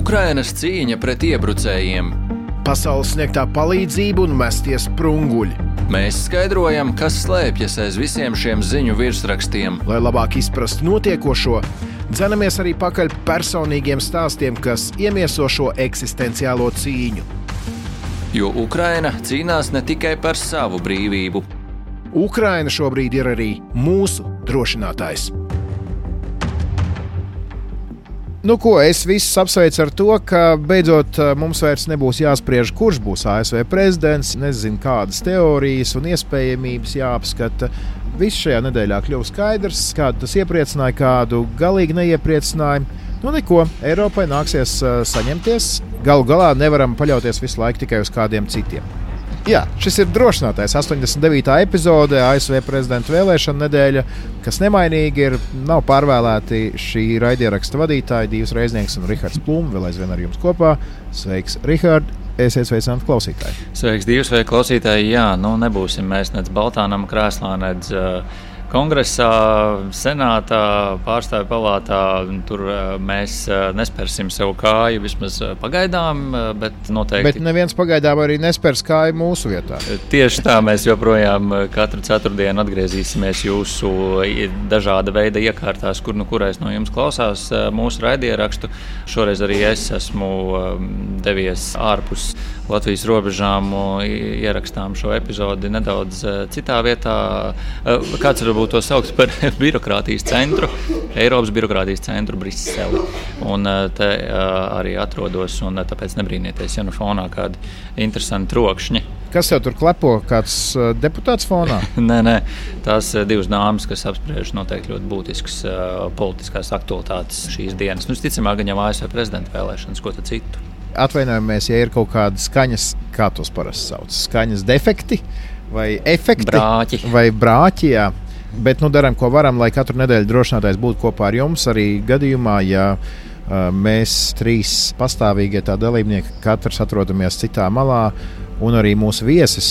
Ukrainas cīņa pret iebrucējiem. Pasaules sniegtā palīdzība un mestie sprunguļi. Mēs skaidrojam, kas slēpjas aiz visiem šiem ziņu virsrakstiem. Lai labāk izprastu notiekošo, dzenamies arī pakaļ personīgiem stāstiem, kas iemieso šo eksistenciālo cīņu. Jo Ukraina cīnās ne tikai par savu brīvību. Ukraina šobrīd ir arī mūsu drošinātājs. Nu ko, es visus apsveicu ar to, ka beidzot mums vairs nebūs jāspriež, kurš būs ASV prezidents, nezinu, kādas teorijas un iespējamības jāapskata. Viss šajā nedēļā kļuva skaidrs, kādu tas iepriecināja, kādu galīgi neiepriecināja. Nu neko, Eiropai nāksies saņemties. Galu galā nevaram paļauties visu laiku tikai uz kādiem citiem. Jā, šis ir drošinātais 89. epizode ASV prezidenta vēlēšana nedēļa, kas nemainīgi ir. Nav pārvēlēti šī raidieraksta vadītāji, Dīvs Reiznieks un Rihards Plūme, vēl aizvien ar jums kopā. Sveiks, Rihard! Esiet sveicināti klausītāji. Sveiks, Dīvs, vai klausītāji? Jā, nebūsim mēs nec Baltānam krēslā, nec Kongresā, Senātā, Pārstāvju palātā. Tur mēs nespersim sev kāju, vismaz pagaidām, bet noteikti. Bet neviens pagaidām arī nespers kāju mūsu vietā. Tieši tā, mēs joprojām katru ceturtdienu atgriezīsimies jūsu dažāda veida iekārtās, kurais no jums klausās mūsu raidierakstu. Šoreiz arī es esmu devies ārpus Latvijas robežām, ierakstām šo epizodi nedaudz citā vietā. Kāds varbūt to sauc par birokrātijas centru, Eiropas birokrātijas centru Briseli. Un te arī atrodos, un tāpēc nebrīnieties, ja fonā kādi interesanti trokšņi. Kas tev tur klepo? Kāds deputāts fonā? Nē, tās divas dāmas, kas apspriež noteikti ļoti būtiskas politiskās aktualitātes šīs dienas. Ticamāk, gan jau ASV prezidenta vēlēšanas, ko tad citu. Atvainojamies, ja ir kaut kāda skaņas, kā tos parasti sauc, skaņas defekti vai efekti. Brāķi. Vai brāķi, jā. Bet darām, ko varam, lai katru nedēļu drošinātājs būtu kopā ar jums. Arī gadījumā, ja mēs trīs pastāvīgie tā dalībnieki, katrs atrodamies citā malā, un arī mūsu viesis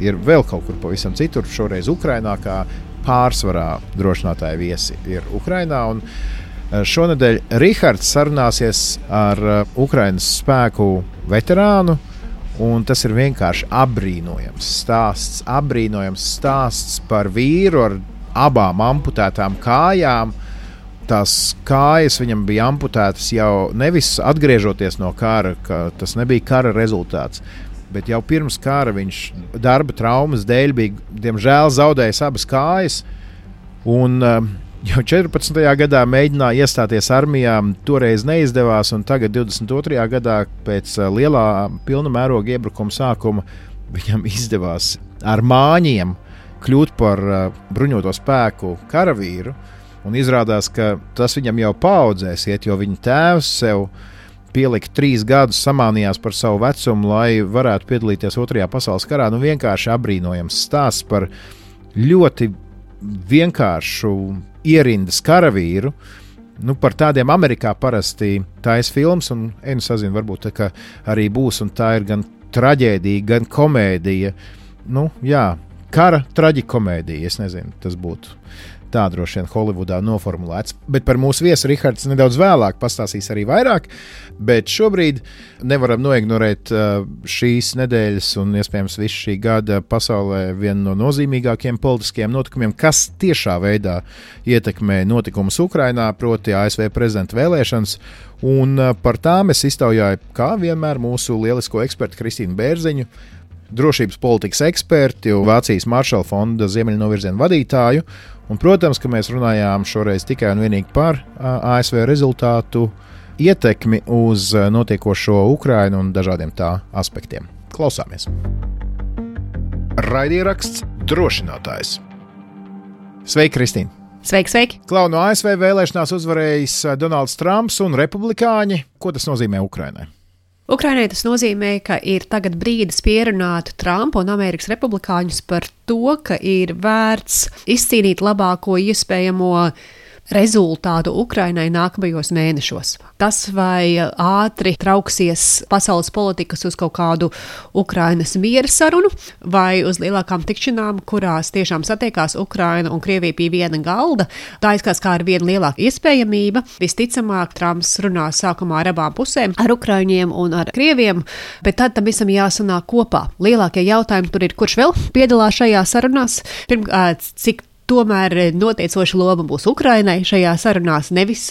ir vēl kaut kur pavisam citur, šoreiz Ukrainā, kā pārsvarā drošinātāja viesi ir Ukrainā. Un šonedēļ Rihards sarunāsies ar Ukrainas spēku veterānu, un tas ir vienkārši apbrīnojams stāsts par vīru ar abām amputētām kājām. Tās kājas viņam bija amputētas jau nevis atgriežoties no kara, ka tas nebija kara rezultāts, bet jau pirms kara viņš darba traumas dēļ bija, diemžēl, zaudējis abas kājas. Un jau 14. gadā mēģināja iestāties armijā, toreiz neizdevās, un tagad 22. gadā pēc lielā pilna mēroga iebrukuma sākuma viņam izdevās ar māņiem kļūt par bruņoto spēku karavīru, un izrādās, ka tas viņam jau paaudzēs iet, jo viņa tēvs sev pielika 3 gadus, samānījās par savu vecumu, lai varētu piedalīties 2. pasaules karā. Vienkārši apbrīnojams stāsts par ļoti vienkāršu ierindas karavīru. Par tādiem Amerikā parasti taisa filmas, un sazinu, varbūt tā, ka arī būs, un tā ir gan traģēdija, gan komēdija. Kara traģikomēdija, es nezinu, tas būtu tā droši vien Holivudā noformulēts. Bet par mūsu viesu Rihards nedaudz vēlāk pastāstīs arī vairāk, bet šobrīd nevaram noignorēt šīs nedēļas un iespējams visu šī gada pasaulē vienu no nozīmīgākiem politiskiem notikumiem, kas tiešā veidā ietekmē notikumus Ukrainā, proti ASV prezidenta vēlēšanas. Un par tām es iztaujāju, kā vienmēr, mūsu lielisko ekspertu Kristīnu Bērziņu, drošības politikas eksperti, Vācijas Maršala fonda Ziemeļnovirziena vadītāju. Un, protams, ka mēs runājām šoreiz tikai un vienīgi par ASV rezultātu ietekmi uz notiekošo Ukrainu un dažādiem tā aspektiem. Klausāmies. Raidieraksts drošinātājs. Sveiki, Kristīna! Sveiki! Klau, no ASV vēlēšanās uzvarējis Donalds Trumps un republikāņi. Ko tas nozīmē Ukrainai? Ukrainai tas nozīmē, ka ir tagad brīdis pierunāt Trumpu un Amerikas republikāņus par to, ka ir vērts izcīnīt labāko iespējamo rezultātu Ukrainai nākamajos mēnešos. Tas, vai ātri trauksies pasaules politikas uz kaut kādu Ukrainas miera sarunu, vai uz lielākām tikšanām, kurās tiešām satiekās Ukraina un Krievija pie viena galda, tā izskatās kā ar vienu lielāku iespējamība. Visticamāk, Trumps runās sākumā ar abām pusēm, ar Ukraiņiem un ar Krieviem, bet tad tam visam jāsanāk kopā. Lielākie jautājumi tur ir, kurš vēl piedalās šajā sarunās, cik tomēr noteicoša loma būs Ukrainai šajā sarunās, nevis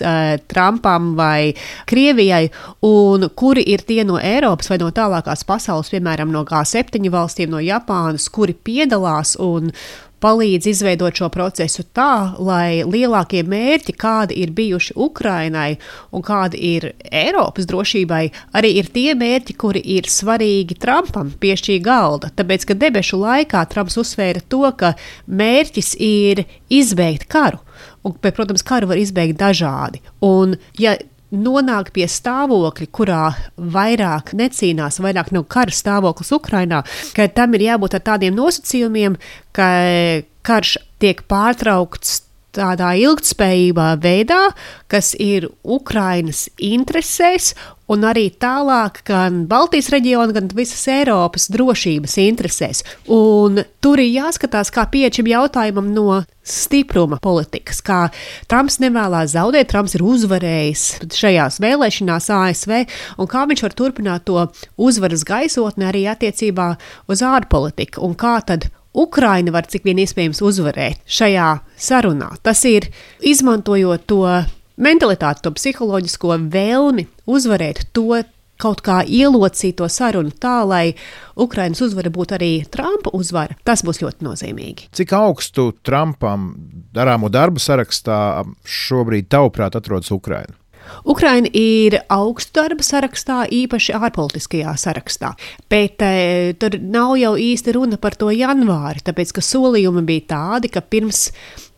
Trumpam vai Krievijai, un kuri ir tie no Eiropas vai no tālākās pasaules, piemēram, no G7 valstīm, no Japānas, kuri piedalās un palīdz izveidot šo procesu tā, lai lielākie mērķi, kādi ir bijuši Ukrainai un kādi ir Eiropas drošībai, arī ir tie mērķi, kuri ir svarīgi Trumpam pie šī galda. Tāpēc, ka debešu laikā Trumps uzsvēra to, ka mērķis ir izbeigt karu. Un, bet, protams, karu var izbeigt dažādi. Un, ja nonāk pie stāvokļa, kurā vairāk necīnās, vairāk nav kara stāvoklis Ukrainā, ka tam ir jābūt ar tādiem nosacījumiem, ka karš tiek pārtraukts tādā ilgtspējībā veidā, kas ir Ukrainas interesēs un arī tālāk gan Baltijas reģiona, gan visas Eiropas drošības interesēs. Un tur ir jāskatās, kā pieeja šim jautājumam no stipruma politikas, kā Trumps nevēlās zaudēt, Trumps ir uzvarējis šajās vēlēšanās ASV, un kā viņš var turpināt to uzvaras gaisotni arī attiecībā uz ārpolitiku, un kā tad Ukraina var cik vien iespējams uzvarēt šajā sarunā. Tas ir izmantojot to mentalitāti, to psiholoģisko vēlmi uzvarēt, to kaut kā ielocīt to sarunu tā, lai Ukrainas uzvara būtu arī Trumpa uzvara. Tas būs ļoti nozīmīgi. Cik augstu Trumpam darāmo darbu sarakstā šobrīd tavuprāt atrodas Ukraina? Ukraina ir augstu darba sarakstā, īpaši ārpolitiskajā sarakstā, bet tur nav jau īsti runa par to janvāri, tāpēc, ka solījumi bija tādi, ka pirms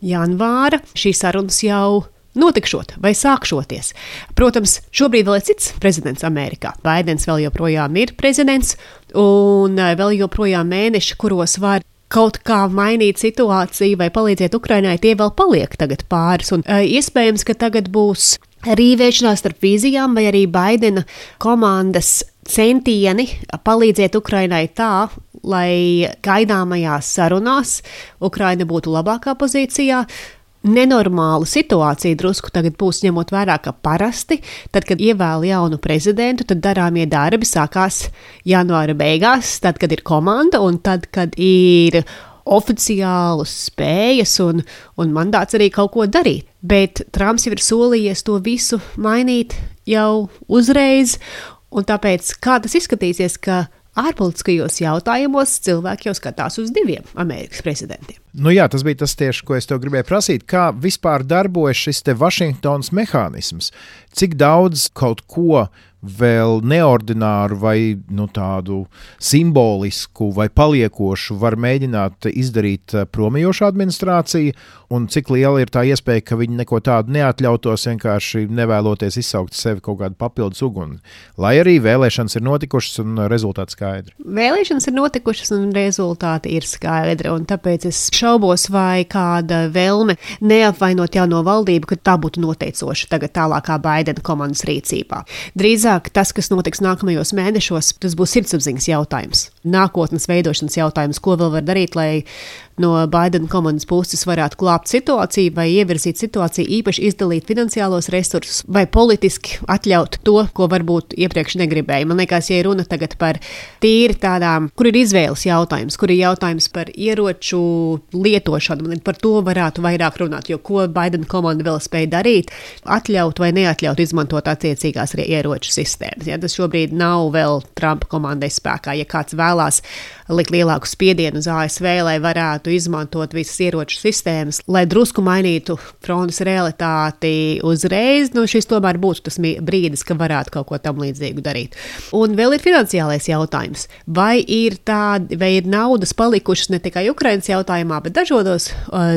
janvāra šīs sarunas jau notikšot vai sākšoties. Protams, šobrīd vēl ir cits prezidents Amerikā. Baidens vēl joprojām ir prezidents un vēl joprojām mēneši, kuros var kaut kā mainīt situāciju vai palīdzēt Ukrainai, tie vēl paliek tagad pāris. Un iespējams, ka tagad būs rīvēšanās starp vīzijām vai arī Baidena komandas centieni palīdzēt Ukrainai tā, lai gaidāmajās sarunās Ukraina būtu labākā pozīcijā. Nenormāla situācija drusku tagad būs ņemot vērā, ka parasti, tad, kad ievēl jaunu prezidentu, tad darāmie darbi sākās janvāra beigās, tad, kad ir komanda un tad, kad ir oficiālas spējas un mandāts arī kaut ko darīt. Bet Trumps jau ir solījies to visu mainīt jau uzreiz, un tāpēc kā tas izskatīsies, ka ārpolitiskajos jautājumos cilvēki jau skatās uz diviem Amerikas prezidentiem. Nu jā, tas bija tas tieši, ko es tev gribēju prasīt. Kā vispār darbojas šis te Vašingtonas mehānisms? Cik daudz kaut ko vēl neordināru vai tādu simbolisku vai paliekošu var mēģināt izdarīt promijoša administrācija, un cik liela ir tā iespēja, ka viņi neko tādu neatļautos, vienkārši nevēloties izsaukt sevi kaut kādu papildus uguni. Lai arī vēlēšanas ir notikušas un rezultāti skaidri. Vēlēšanas ir notikušas un rezultāti ir skaidri, un tāpēc es šaubos, vai kāda vēlme neapvainot jauno valdību, ka tā būtu noteicoša tagad tālākā Baidena komandas rīcībā. Drīzāk tas, kas notiks nākamajos mēnešos, tas būs sirdsapziņas jautājums. Nākotnes veidošanas jautājums, ko vēl var darīt, lai no Baidena komandas puses varētu glābt situāciju vai ievirzīt situāciju, īpaši izdalīt finansiālos resursus vai politiski atļaut to, ko varbūt iepriekš negribēja. Man liekas, ja runa tagad par tīri tādām, kur ir izvēles jautājums, kur ir jautājums par ieroču lietošanu, par to varētu vairāk runāt, jo ko Baidena komanda vēl spēja darīt, atļaut vai neatļaut izmantot attiecīgās ieroču sistēmas. Ja, tas šobrīd nav vēl Trumpa komandai spēkā. Ja kāds vēlās likt lielāku spiedienu uz ASV, lai varētu izmantot visas ieroču sistēmas, lai drusku mainītu frontes realitāti uzreiz, šis tomēr būtu tas brīdis, ka varētu kaut ko tam līdzīgu darīt. Un vēl ir finansiālais jautājums. Vai ir naudas palikušas ne tikai Ukrainas jautājumā, bet dažādos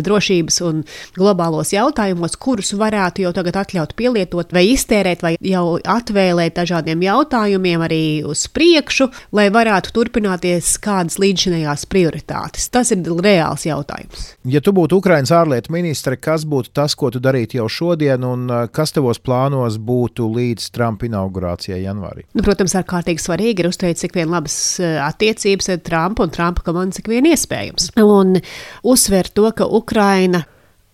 drošības un globālos jautājumos, kurus varētu jau tagad atļaut pielietot vai iztērēt, vai jau atvēlēt dažādiem jautājumiem arī uz priekšu, lai varētu turpināties kāda kādas līdzšinējās prioritātes? Tas ir reāls jautājums. Ja tu būtu Ukrainas ārlietu ministre, kas būtu tas, ko tu darītu jau šodien, un kas tavos plānos būtu līdz Trumpa inaugurācijai janvārī? Protams, ārkārtīgi svarīgi ir uzturēt cik vien labas attiecības ar Trumpu un Trumpa komandu cik vien iespējams. Un uzsver to, ka Ukraina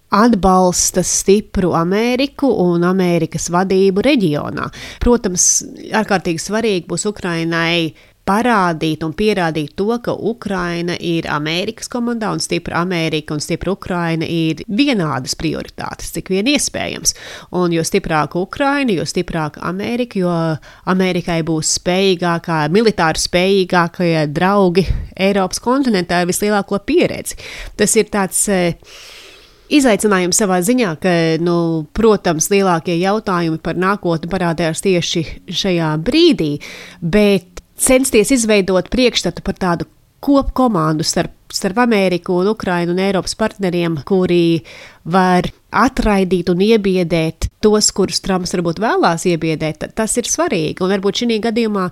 atbalsta stipru Ameriku un Amerikas vadību reģionā. Protams, ārkārtīgi svarīgi būs Ukrainai parādīt un pierādīt to, ka Ukraina ir Amerikas komandā un stipra Amerika un stipra Ukraina ir vienādas prioritātes, cik vien iespējams. Un jo stiprāka Ukraina, jo stiprāka Amerika, jo Amerikai būs spējīgākā, militāri spējīgākie draugi Eiropas kontinentā ar vislielāko pieredzi. Tas ir tāds izaicinājums savā ziņā, ka, protams, lielākie jautājumi par nākotni parādījās tieši šajā brīdī, bet censties izveidot priekšstatu par tādu kopkomandu starp Ameriku un Ukrainu un Eiropas partneriem, kuri var atraidīt un iebiedēt tos, kurus Trumps varbūt vēlās iebiedēt, tas ir svarīgi. Un varbūt šī gadījumā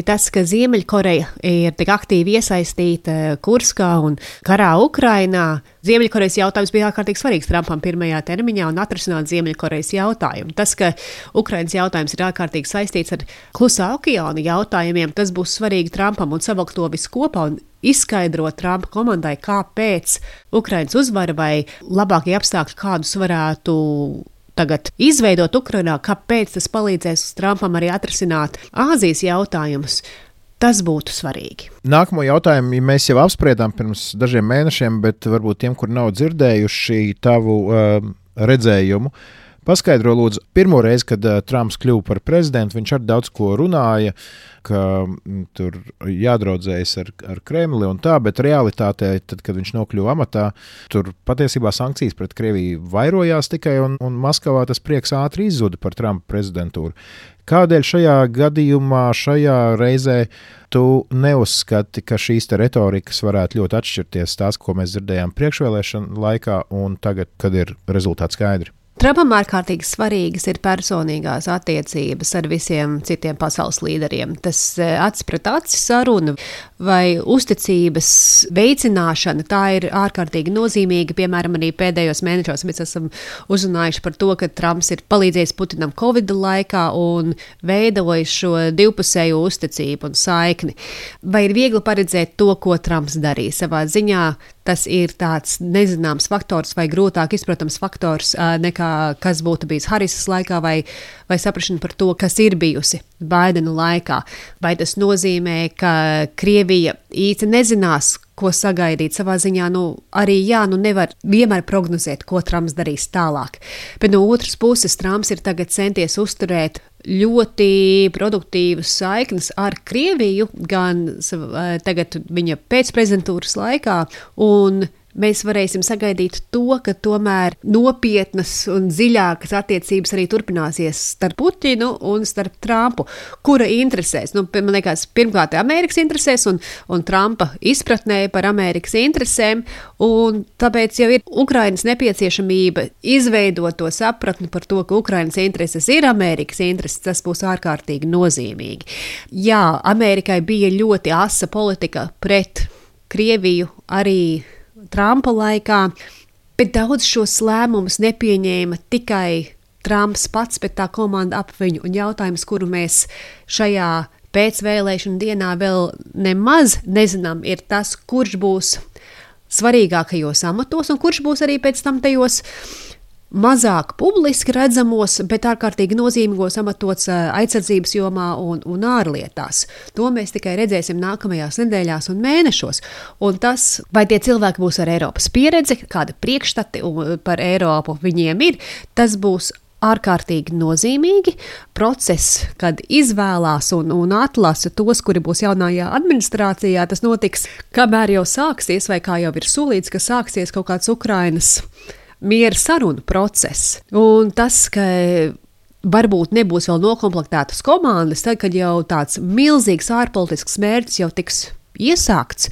tas, ka Ziemeļkoreja ir tik aktīvi iesaistīta Kurskā un karā Ukrainā, Ziemeļkorejas jautājums bija ārkārtīgi svarīgs Trumpam pirmajā termiņā un atrisināt Ziemeļkorejas jautājumu. Tas, ka Ukrainas jautājums ir ārkārtīgi saistīts ar Klusā okeāna jautājumiem, tas būs svarīgi Trumpam un savilkt to visu kopā un izskaidrot Trumpa komandai, kāpēc Ukrainas uzvara vai labākie apstākļi, kādus varētu tagad izveidot Ukrainā, kāpēc tas palīdzēs Trumpam arī atrisināt Āzijas jautājumus. Tas būtu svarīgi. Nākamo jautājumu mēs jau apspriedām pirms dažiem mēnešiem, bet varbūt tiem, kur nav dzirdējuši tavu redzējumu, paskaidro lūdzu, pirmo reizi, kad Trumps kļuva par prezidentu, viņš arī daudz ko runāja, ka tur jādraudzējas ar Kremli un tā, bet realitātē, tad, kad viņš nokļuva amatā, tur patiesībā sankcijas pret Krieviju vairojās tikai un Maskavā tas prieks ātri izzuda par Trumpa prezidentūru. Kādēļ šajā gadījumā, šajā reizē tu neuzskati, ka šīs retorikas varētu ļoti atšķirties tās, ko mēs dzirdējām priekšvēlēšanu laikā un tagad, kad ir rezultāti skaidri? Trumpam ārkārtīgi svarīgas ir personīgās attiecības ar visiem citiem pasaules līderiem. Tas acis pret aci saruna vai uzticības veicināšana, tā ir ārkārtīgi nozīmīga. Piemēram, arī pēdējos mēnešos mēs esam uzrunājuši par to, ka Trumps ir palīdzējis Putinam Covid laikā un veidojis šo divpusējo uzticību un saikni. Vai ir viegli paredzēt to, ko Trumps darīs savā ziņā? Tas ir tāds nezināms faktors vai grūtāk izprotams faktors nekā kas būtu bijis Harisas laikā vai saprašana par to, kas ir bijusi Baidena laikā. Vai tas nozīmē, ka Krievija īsti nezinās, ko sagaidīt savā ziņā, arī nevar vienmēr prognozēt, ko Trumps darīs tālāk. Bet no otras puses Trumps ir tagad centies uzturēt ļoti produktīvas saiknes ar Krieviju, gan tagad viņa pēcprezidentūras laikā, un mēs varēsim sagaidīt to, ka tomēr nopietnas un dziļākas attiecības arī turpināsies starp Putinu un starp Trumpu, kura interesēs. Man liekas, pirmkārt Amerikas interesēs un Trumpa izpratnē par Amerikas interesēm, un tāpēc jau ir Ukrainas nepieciešamība izveidot to sapratni par to, ka Ukrainas intereses ir Amerikas intereses, tas būs ārkārtīgi nozīmīgi. Jā, Amerikai bija ļoti asa politika pret Krieviju arī Trumpa laikā, bet daudz šos lēmumus nepieņēma tikai Trumps pats, bet tā komanda ap viņu. Un jautājums, kuru mēs šajā pēcvēlēšanu dienā vēl nemaz nezinām, ir tas, kurš būs svarīgākajos amatos un kurš būs arī pēc tam tajos mazāk publiski redzamos, bet ārkārtīgi nozīmīgos amatos aizsardzības jomā un ārlietās. To mēs tikai redzēsim nākamajās nedēļās un mēnešos. Un tas, vai tie cilvēki būs ar Eiropas pieredzi, kāda priekšstati par Eiropu viņiem ir, tas būs ārkārtīgi nozīmīgi process, kad izvēlās un atlasa tos, kuri būs jaunajā administrācijā. Tas notiks, kamēr jau sāksies, vai kā jau ir solīts, ka sāksies kaut kāds Ukrainas miera sarunu process. Un tas, ka varbūt nebūs vēl nokomplektētas komandas, tad, kad jau tāds milzīgs ārpolitisks mērķis jau tiks iesākts,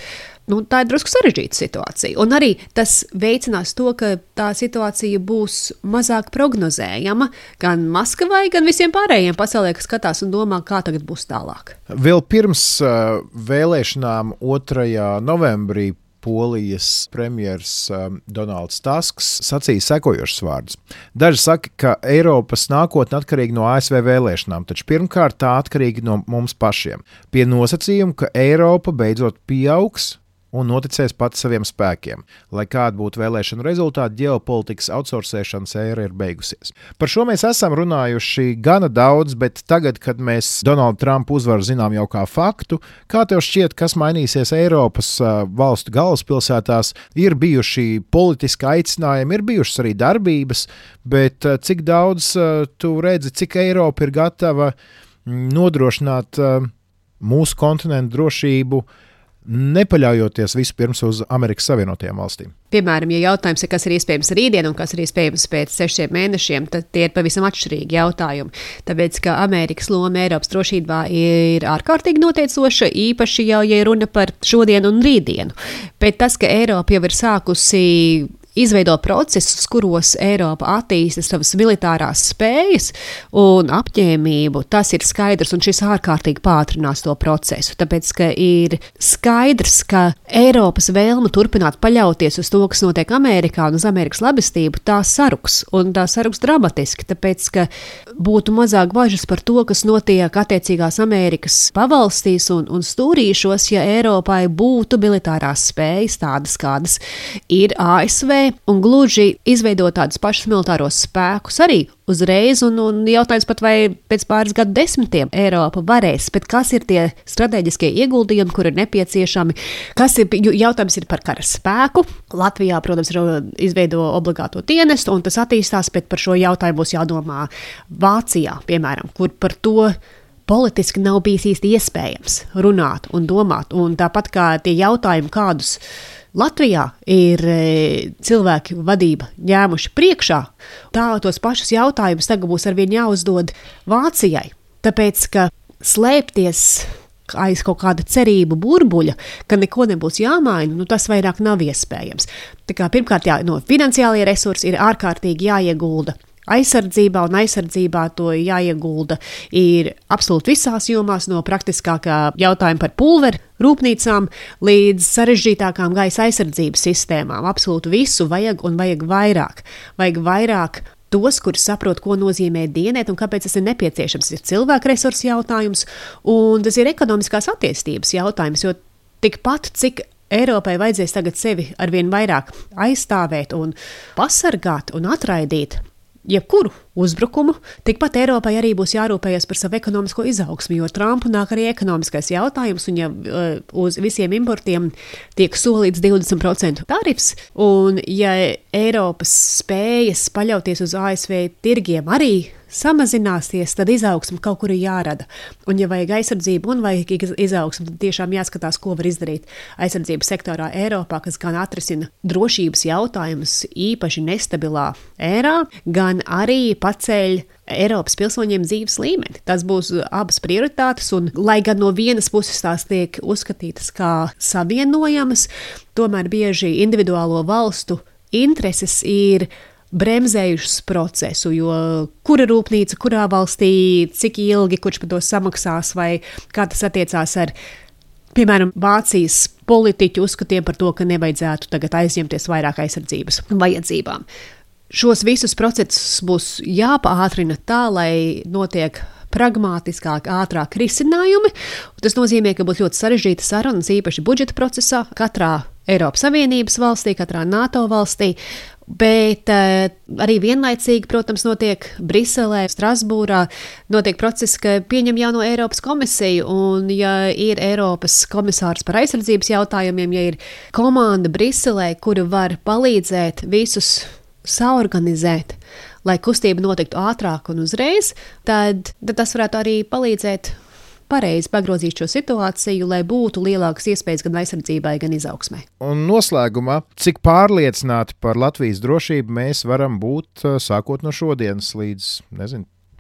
tā ir drusku sarežģīta situācija. Un arī tas veicinās to, ka tā situācija būs mazāk prognozējama gan Maskavai, gan visiem pārējiem pasaulē, kas skatās un domā, kā tagad būs tālāk. Vēl pirms vēlēšanām 2. novembrī Polijas premjers Donalds Tusks sacīja sekojošus vārdus. Daži saka, ka Eiropas nākotne atkarīga no ASV vēlēšanām, taču pirmkārt tā atkarīga no mums pašiem. Pie nosacījuma, ka Eiropa beidzot pieaugs un noticēs pats saviem spēkiem. Lai kāda būtu vēlēšanu rezultāti, ģeopolitikas outsourcēšanas ēra ir beigusies. Par šo mēs esam runājuši gana daudz, bet tagad, kad mēs Donaldu Trumpu uzvaru zinām jau kā faktu, kā tev šķiet, kas mainīsies Eiropas valstu galvaspilsētās, ir bijuši politiski aicinājumi, ir bijušas arī darbības, bet cik daudz tu redzi, cik Eiropa ir gatava nodrošināt mūsu kontinentu drošību, nepaļaujoties vispirms uz Amerikas Savienotajām valstīm. Piemēram, ja jautājums ir, kas ir iespējams rītdien un kas ir iespējams pēc 6 mēnešiem, tad tie ir pavisam atšķirīgi jautājumi. Tāpēc, ka Amerikas loma Eiropas drošībā ir ārkārtīgi noteicoša, īpaši jau, ja runa par šodienu un rītdienu. Bet tas, ka Eiropa jau ir sākusi izveido procesus, kuros Eiropa attīsta savas militārās spējas un apņēmību, tas ir skaidrs, un šis ārkārtīgi pātrinās to procesu. Tāpēc, ka ir skaidrs, ka Eiropas vēlme turpināt paļauties uz to, kas notiek Amerikā un uz Amerikas labestību, tā saruks, un tā saruks dramatiski, tāpēc, ka būtu mazāk bažas par to, kas notiek attiecīgās Amerikas pavalstīs un stūrīšos, ja Eiropai būtu militārās spējas tādas, kādas ir ASV, un gluži izveidot tādus pašus militāros spēkus arī uzreiz, un jautājums pat vai pēc pāris gadu desmitiem Eiropa varēs, bet kas ir tie strateģiskie ieguldījumi, kur ir nepieciešami, jautājums ir par kara spēku. Latvijā, protams, izveido obligāto dienestu, un tas attīstās, bet par šo jautājumu būs jādomā Vācijā, piemēram, kur par to politiski nav bijis īsti iespējams runāt un domāt, un tāpat kā tie jautājumi, kādus Latvijā ir cilvēki vadība ņēmuši priekšā, tā tos pašus jautājumus tagad būs arvien jāuzdod Vācijai. Tāpēc, ka slēpties aiz kaut kāda cerību burbuļa, ka neko nebūs jāmaina, tas vairāk nav iespējams. Tā kā pirmkārt, finansiālie resursi ir ārkārtīgi jāiegulda aizsardzībā, un aizsardzībā to jāiegulda ir absolūti visās jomās, no praktiskākā jautājuma par pulveru rūpnīcām līdz sarežģītākām gaisa aizsardzības sistēmām. Absolūti visu vajag un vajag vairāk. Vajag vairāk tos, kuri saprot, ko nozīmē dienēt un kāpēc tas ir nepieciešams. Ir cilvēku resursu jautājums, un tas ir ekonomiskās attīstības jautājums, jo tikpat, cik Eiropai vajadzēs tagad sevi arvien vairāk aizstāvēt un pasargāt un atraidīt jebkuru uzbrukumu, tikpat Eiropai arī būs jārūpējas par savu ekonomisko izaugsmu, jo Trumpu nāk arī ekonomiskais jautājums, un ja uz visiem importiem tiek solīts 20% tarifs, un ja Eiropas spējas paļauties uz ASV tirgiem arī samazināsies, tad izaugsme kaut kur ir jārada. Un ja vajag aizsardzību un vajag izaugsmu, tad tiešām jāskatās, ko var izdarīt aizsardzības sektorā Eiropā, kas gan atrisina drošības jautājumus īpaši nestabilā ērā, gan arī paceļ Eiropas pilsoņiem dzīves līmeni. Tas būs abas prioritātes, un lai gan no vienas puses tās tiek uzskatītas kā savienojamas, tomēr bieži individuālo valstu intereses ir bremzējušas procesu, jo kura rūpnīca, kurā valstī, cik ilgi, kurš par to samaksās, vai kā tas attiecās ar, piemēram, Vācijas politiķu uzskatiem par to, ka nevajadzētu tagad aizņemties vairāk aizsardzības vajadzībām. Šos visus procesus būs jāpaātrina tā, lai notiek pragmātiskāk, ātrāk risinājumi. Tas nozīmē, ka būs ļoti sarežģīta sarunas, īpaši budžeta procesā, katrā Eiropas Savienības valstī, katrā NATO valstī, bet arī vienlaicīgi, protams, notiek Briselē, Strasbūrā, notiek process, ka pieņem jauno Eiropas komisiju, un ja ir Eiropas komisārs par aizsardzības jautājumiem, ja ir komanda Briselē, kura var palīdzēt visus saorganizēt, lai kustība notiktu ātrāk un uzreiz, tad tas varētu arī palīdzēt pareizi pagrozīt šo situāciju, lai būtu lielākas iespējas gan aizsardzībai, gan izaugsmai. Un noslēgumā, cik pārliecināti par Latvijas drošību mēs varam būt sākot no šodienas līdz,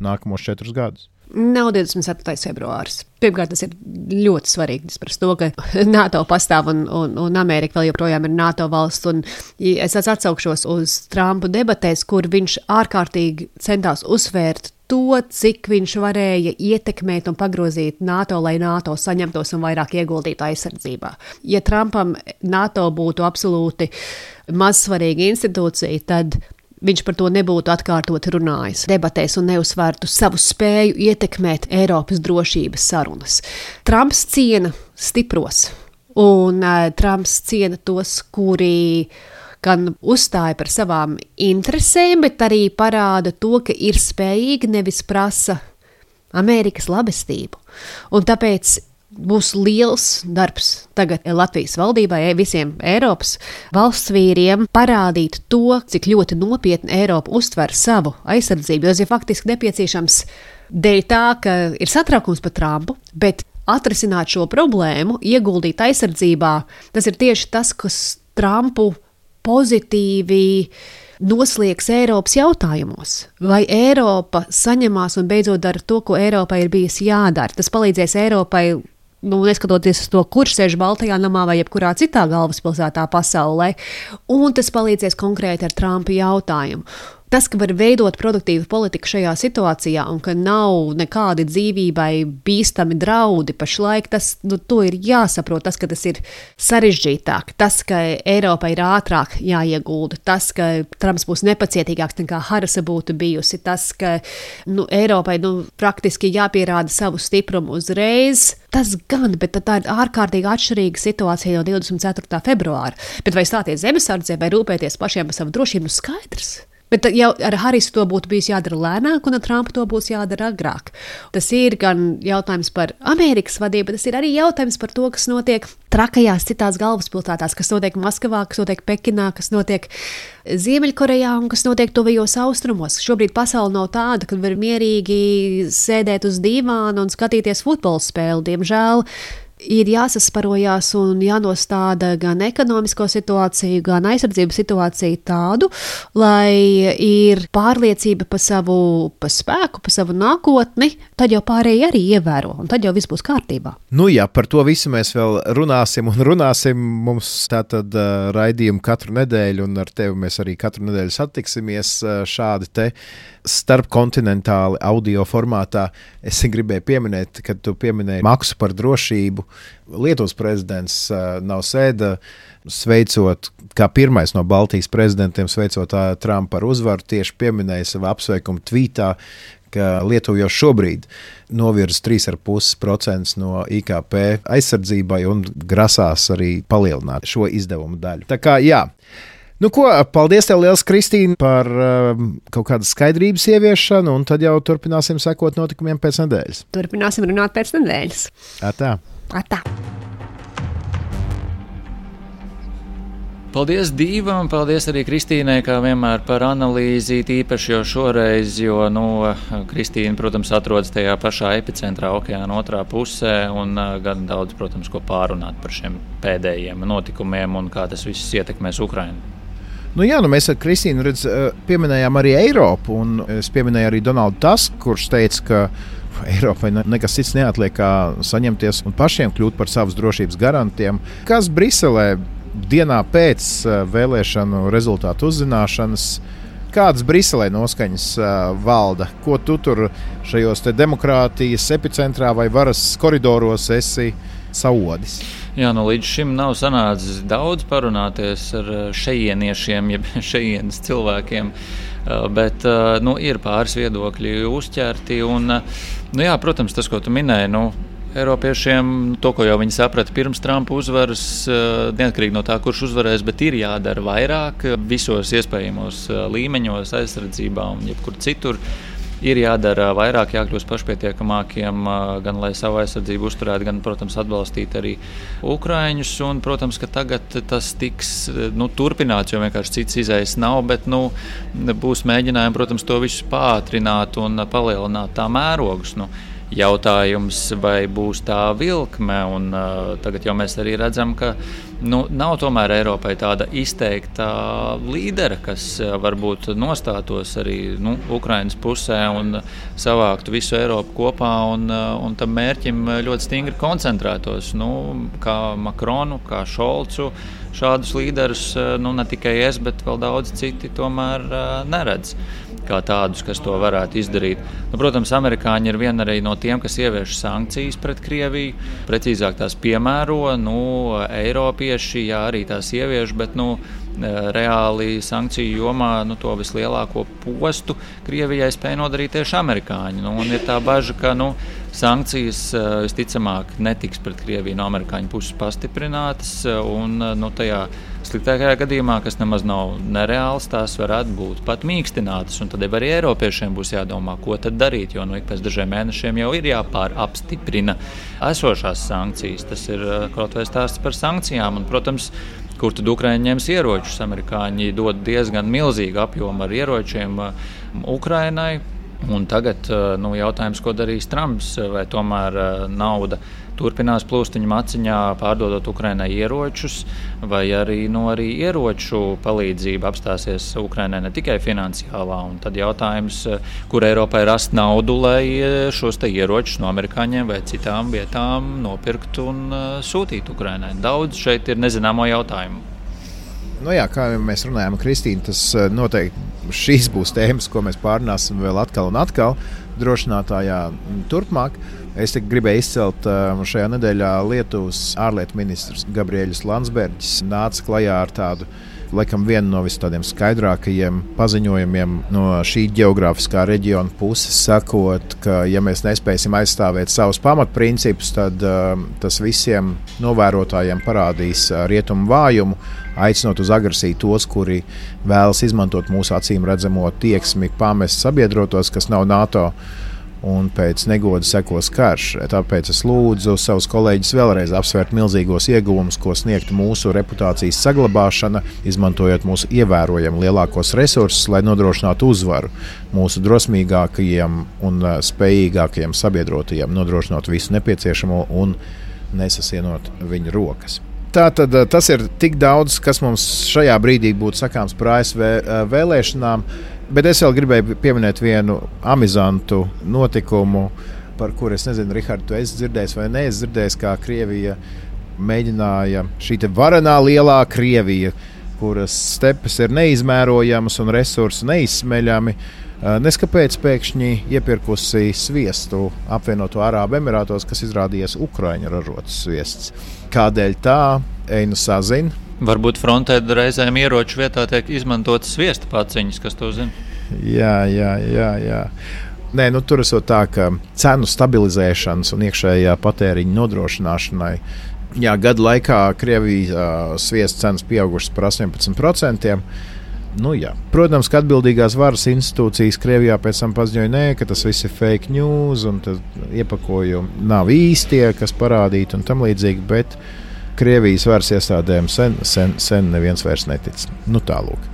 nākamos 4 gadus? Nav 24. februāris. Pirmkārt, tas ir ļoti svarīgi par to, ka NATO pastāv un Amerika vēl joprojām ir NATO valsts. Es atsaukšos uz Trumpa debatēs, kur viņš ārkārtīgi centās uzsvērt to, cik viņš varēja ietekmēt un pagrozīt NATO, lai NATO saņemtos un vairāk ieguldītu aizsardzībā. Ja Trumpam NATO būtu absolūti mazsvarīga institūcija, tad viņš par to nebūtu atkārtot runājis debatēs un neuzsvērtu savu spēju ietekmēt Eiropas drošības sarunas. Trumps ciena stipros, un Trumps ciena tos, kuri gan uzstāja par savām interesēm, bet arī parāda to, ka ir spējīgi, nevis prasa Amerikas labestību. Un tāpēc būs liels darbs tagad Latvijas valdībai, visiem Eiropas valsts vīriem parādīt to, cik ļoti nopietni Eiropa uztver savu aizsardzību. Tas ir faktiski nepieciešams dēļ tā, ka ir satraukums par Trumpu, bet atrisināt šo problēmu, ieguldīt aizsardzībā, tas ir tieši tas, kas Trumpu pozitīvi nosliegs Eiropas jautājumos. Vai Eiropa saņemās un beidzot dara to, ko Eiropai ir bijis jādara? Tas palīdzēs Eiropai, neskatoties uz to, kurš sēž Baltajā namā vai jebkurā citā galvaspilsētā pasaulē, un tas palīdzēs konkrēti ar Trumpa jautājumu. Tas, ka var veidot produktīvu politiku šajā situācijā un ka nav nekādi dzīvībai bīstami draudi pašlaik, to ir jāsaprot. Tas, ka tas ir sarežģītāk, tas, ka Eiropai ir ātrāk jāiegulda, tas, ka Trumps būs nepacietīgāks nekā Harisa būtu bijusi, tas, ka Eiropai praktiski jāpierāda savu stiprumu uzreiz. Tas gan, bet tā ir ārkārtīgi atšķirīga situācija no 24. februāra. Bet vai stāties zemesardzē vai rūpēties pašiem par savu drošību, skaidrs. Bet jau ar Harisu to būtu bijis jādara lēnāk, un ar Trumpu to būs jādara agrāk. Tas ir gan jautājums par Amerikas vadību, bet tas ir arī jautājums par to, kas notiek trakajās citās galvaspilsētās, kas notiek Maskavā, kas notiek Pekinā, kas notiek Ziemeļkorejā un kas notiek tuvajos austrumos. Šobrīd pasaule nav tāda, kad var mierīgi sēdēt uz dīvāna un skatīties futbola spēli. Diemžēl ir jāsasparojās un jānostāda gan ekonomisko situāciju, gan aizsardzības situāciju tādu, lai ir pārliecība par savu spēku, par savu nākotni, tad jau pārējie arī ievēro, un tad jau viss būs kārtībā. Jā, par to visu mēs vēl runāsim. Mums tātad raidījumi katru nedēļu, un ar tevi mēs arī katru nedēļu satiksimies šādi te starpkontinentāli audio formātā. Es gribēju pieminēt, kad tu pieminēji maksu par drošību. Lietuvas prezidents Nausēda, sveicot, kā pirmais no Baltijas prezidentiem, sveicot Trumpu par uzvaru, tieši pieminēja savā apsveikuma tvītā, ka Lietuva jau šobrīd novirza 3,5% no IKP aizsardzībai un grasās arī palielināt šo izdevumu daļu. Tā kā jā. Paldies tev liels, Kristīne, par kaut kādas skaidrības ieviešanu, un tad jau turpināsim sekot notikumiem pēc nedēļas. Turpināsim runāt pēc nedēļas. Atā. Paldies Dīvam, paldies arī Kristīnai, kā vienmēr, par analīzi, īpaši jau šoreiz, jo Kristīna, protams, atrodas tajā pašā epicentrā okeāna otrā pusē un gan daudz, protams, ko pārunāt par šiem pēdējiem notikumiem un kā tas viss ietekmēs Ukrainu. Mēs ar Kristīnu pieminējām arī Eiropu, un es pieminēju arī Donaldu Tusku, kurš teica, ka Eiropai nekas cits neatliek, kā saņemties un pašiem kļūt par savas drošības garantiem. Kas Briselē dienā pēc vēlēšanu rezultātu uzzināšanas, kādas Briselē noskaņas valda? Ko tu tur šajos te demokrātijas epicentrā vai varas koridoros esi saodis? Jā, līdz šim nav sanācis daudz parunāties ar šejieniešiem, jeb šejienes cilvēkiem, bet ir pāris viedokļi uzķerti. Un, protams, tas, ko tu minēji, Eiropiešiem, to, ko jau viņi saprata pirms Trumpa uzvaras, neatkarīgi no tā, kurš uzvarēs, bet ir jādara vairāk visos iespējamos līmeņos, aizsardzībā un jebkur citur. Ir jādara vairāk, jākļūst pašpietiekamākiem, gan lai savu aizsardzību uzturētu, gan, protams, atbalstīt arī ukraiņus. Un, protams, ka tagad tas tiks turpināts, jo vienkārši cits izējas nav, bet būs mēģinājumi, protams, to visu pātrināt un palielināt tā mērogus. jautājums, vai būs tā vilkme. Un, tagad jau mēs arī redzam, ka nav tomēr Eiropai tāda izteikta līdera, kas varbūt nostātos arī Ukrainas pusē un savāktu visu Eiropu kopā un tam mērķim ļoti stingri koncentrētos. Kā Makronu, kā Šolcu. Šādus līderus ne tikai es, bet vēl daudz citi tomēr neredz kā tādus, kas to varētu izdarīt. Protams, amerikāņi ir viena arī no tiem, kas ievieš sankcijas pret Krieviju. Precīzāk tās piemēro, Eiropieši arī tās ievieš, bet reāli sankciju jomā to vislielāko postu Krievijai spēja nodarīt tieši amerikāņi. Un ir tā baža, ka sankcijas visticamāk netiks pret Krieviju no amerikāņu puses pastiprinātas, un tajā sliktākajā gadījumā, kas nemaz nav nereāls, tās varētu būt pat mīkstinātas. Un tad arī Eiropiešiem būs jādomā, ko tad darīt, jo ik pēc dažiem mēnešiem jau ir jāpārapstiprina esošās sankcijas. Tas ir kaut vai stāsts par sankcijām. Un, protams, kur tad Ukraiņi ņems ieročus? Amerikāņi dod diezgan milzīgu apjomu ar ieročiem Ukrainai. Un tagad jautājums, ko darīs Trumps, vai tomēr nauda turpinās plūst viņa maciņā, pārdodot Ukrainai ieročus, vai arī ieroču palīdzība apstāsies Ukrainai ne tikai finansiālā. Un tad jautājums, kur Eiropai rast naudu, lai šos ieročus no amerikāņiem vai citām vietām nopirkt un sūtīt Ukrainai. Daudz šeit ir nezināmo jautājumu. Kā mēs runājam, Kristīna, tas noteikti šīs būs tēmas, ko mēs pārunāsim vēl atkal un atkal drošinātājā turpmāk. Es gribēju izcelt šajā nedēļā Lietuvas ārlietu ministrs Gabriēlis Landsbergis nāca klajā ar tādu, laikam, vienu no tādiem skaidrākajiem paziņojumiem no šī geogrāfiskā reģiona puses, sakot, ka, ja mēs nespēsim aizstāvēt savus pamatprincipus, tad tas visiem novērotājiem parādīs rietumu vājumu, aicinot uz agresiju tos, kuri vēlas izmantot mūsu acīm redzamo tieksmi pamest sabiedrotos, kas nav NATO, un pēc negoda sekos karš. Tāpēc es lūdzu savus kolēģus vēlreiz apsvērt milzīgos ieguvumus, ko sniegtu mūsu reputācijas saglabāšana, izmantojot mūsu ievērojami lielākos resursus, lai nodrošinātu uzvaru mūsu drosmīgākajiem un spējīgākajiem sabiedrotajiem, nodrošinot visu nepieciešamo un nesasienot viņu rokas. Tātad tas ir tik daudz, kas mums šajā brīdī būtu sakāms par ASV vēlēšanām, bet es vēl gribēju pieminēt vienu amizantu notikumu, par kuru es nezinu, Rihard, tu esi dzirdējis vai neesi dzirdējis, kā Krievija mēģināja, šī te varenā lielā Krievija, kuras stepes ir neizmērojamas un resursi neizsmeļami, neskapēc pēkšņi iepirkusi sviestu apvienoto Arābu Emirātos, kas izrādījās Ukraiņu ražots sviests. Kādēļ tā? Einu sazin. Varbūt frontē reizēm ieroču vietā tiek izmantotas sviesta paciņas, kas to zina? Jā. Nē, tur esot tā, ka cenu stabilizēšanas un iekšējā patēriņa nodrošināšanai gadu laikā Krievijas sviesta cenas pieaugušas par 18%. Protams, ka atbildīgās varas institūcijas Krievijā pēc tam paziņoja, ka tas viss ir fake news un iepakojumi nav īstie, kas parādīti un tam līdzīgi, bet Krievijas varas iestādēm sen neviens vairs netic. Tālūk.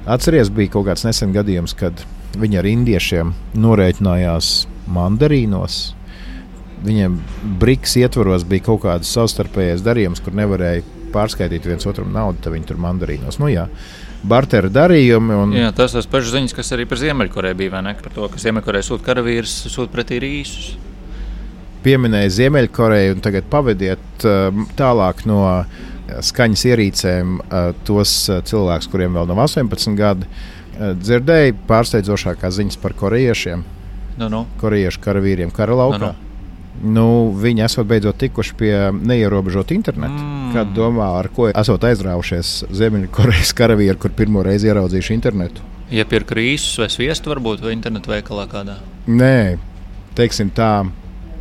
Atceries, bija kaut kāds nesen gadījums, kad viņi ar indiešiem norēķinājās mandarīnos. Viņiem BRICS ietvaros bija kaut kāds savstarpējais darījums, kur nevarēja pārskaitīt viens otram naudu, tad viņi tur mandarīnos. Bartera darījumi. Jā, tas ir pašas ziņas, kas arī par Ziemeļkoreju bija, vai ne? Par to, ka Ziemeļkoreja sūta karavīrus, sūta pretī rīsus. Pieminēja Ziemeļkoreju un tagad pavediet tālāk no skaņas ierīcēm tos cilvēkus, kuriem vēl nav 18 gadi. Dzirdēju pārsteidzošākās ziņas par korejiešiem. Korejiešu karavīriem kara laukā. Viņi esot beidzot tikuši pie neierobežota interneta. Kāda domā, ar ko esot aizrāvušies Ziemeļkorejas karavīri, kur pirmo reizi ieraudzījuši internetu? Iepirka rīsus vai sviestu varbūt, vai internetu veikalā kādā? Nē, teiksim tā,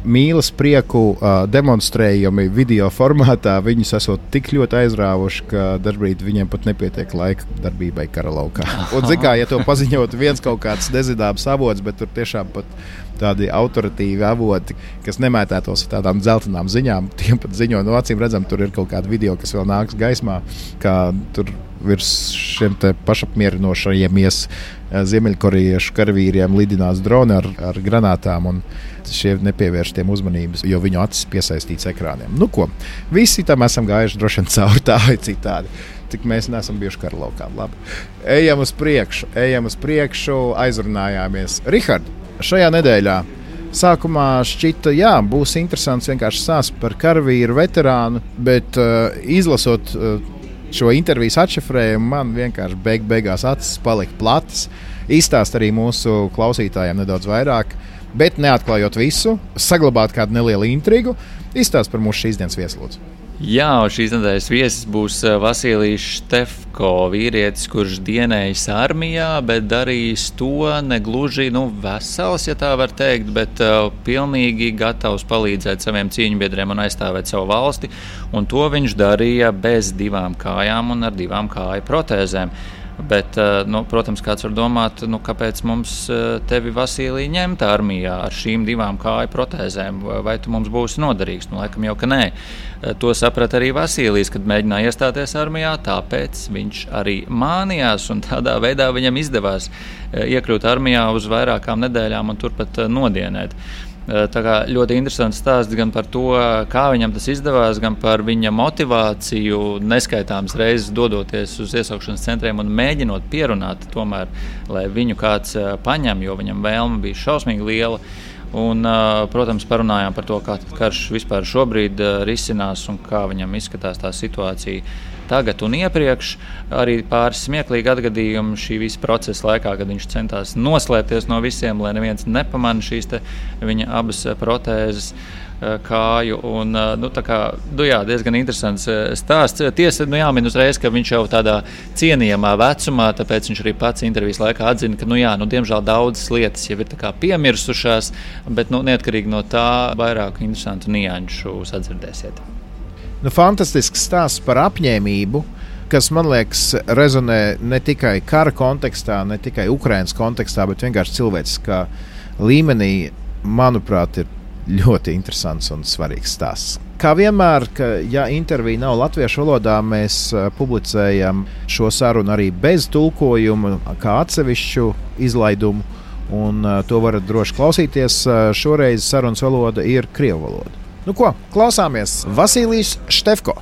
mīlas prieku demonstrējumi video formātā viņus esot tik ļoti aizrāvuši, ka dažbrīd viņiem pat nepietiek laika darbībai kara laukā. Un zikā, ja to paziņot viens kaut kāds nezināms avots, bet tur tiešām pat tādi autoritīvi avoti, kas nemētētos ar tādām dzeltenām ziņām, tiem pat ziņo, acīm redzam, tur ir kaut kāda video, kas vēl nāks gaismā, kā tur virs šiem te pašapmierinošajamies ziemeļkorejiešu karavīriem lidinās droni ar granātām, un šie nepievērš tiem uzmanības, jo viņu acis piesaistīts ekrāniem. Nu ko, visi tam esam gājuši droši vien cauri tā vai citādi. Tik mēs neesam bijuši karalaukā. Labi. Ejam uz priekšu, aizrunājāmies. Rihard, šajā nedēļā sākumā šķita, jā, būs interesants vienkārši stāsts par karavīru veterānu, bet izlasot šo intervijas atšifrējumu, man vienkārši beigās acis palika platas. Izstāst arī mūsu klausītājiem nedaudz vairāk, bet neatklājot visu, saglabāt kādu nelielu intrigu, izstāst par mūsu šīs dienas vieslūdzu. Jā, šīs nedēļas viesis būs Vasilijs Štefko, vīrietis, kurš dienējis armijā, bet darījis to negluži vesels, ja tā var teikt, bet pilnīgi gatavs palīdzēt saviem cīņbiedriem un aizstāvēt savu valsti. Un to viņš darīja bez 2 kājām un ar 2 kāju protēzēm. Bet, protams, kāds var domāt, kāpēc mums tevi, Vasilij, ņemt armijā ar šīm 2 kāju protēzēm, vai tu mums būsi noderīgs? Laikam jau, ka nē. To saprata arī Vasilijs, kad mēģināja iestāties armijā, tāpēc viņš arī mānījās, un tādā veidā viņam izdevās iekļūt armijā uz vairākām nedēļām un turpat nodienēt. Tā kā ļoti interesants stāsts gan par to, kā viņam tas izdevās, gan par viņa motivāciju neskaitāmas reizes dodoties uz iesaukšanas centriem un mēģinot pierunāt tomēr, lai viņu kāds paņem, jo viņam vēlme bija šausmīgi liela. Un, protams, parunājām par to, kā karš vispār šobrīd risinās un kā viņam izskatās tā situācija tagad un iepriekš. Arī pāris smieklīgi atgadījumi šī visa procesa laikā, kad viņš centās noslēpties no visiem, lai neviens nepamanā šīs viņa abas protēzes kāju. Un, diezgan interesants stāsts. Tiesa, jāmin uzreiz, ka viņš jau tādā cienījamā vecumā, tāpēc viņš arī pats intervijas laikā atzina, ka, diemžēl daudzas lietas jau ir piemirsušās, bet neatkarīgi no tā vairāk interesantu nianšu sadzirdēsiet. Fantastisks stāsts par apņēmību, kas, man liekas, rezonē ne tikai kara kontekstā, ne tikai Ukrainas kontekstā, bet vienkārši cilvēciskā līmenī, manuprāt, ir ļoti interesants un svarīgs stāsts. Kā vienmēr, ja intervija nav latviešu valodā, mēs publicējam šo sarunu arī bez tulkojuma, kā atsevišķu izlaidumu, un to varat droši klausīties. Šoreiz sarunas valoda ir krievu valoda. Nu ko, klausāmies Vasilijs Štefko.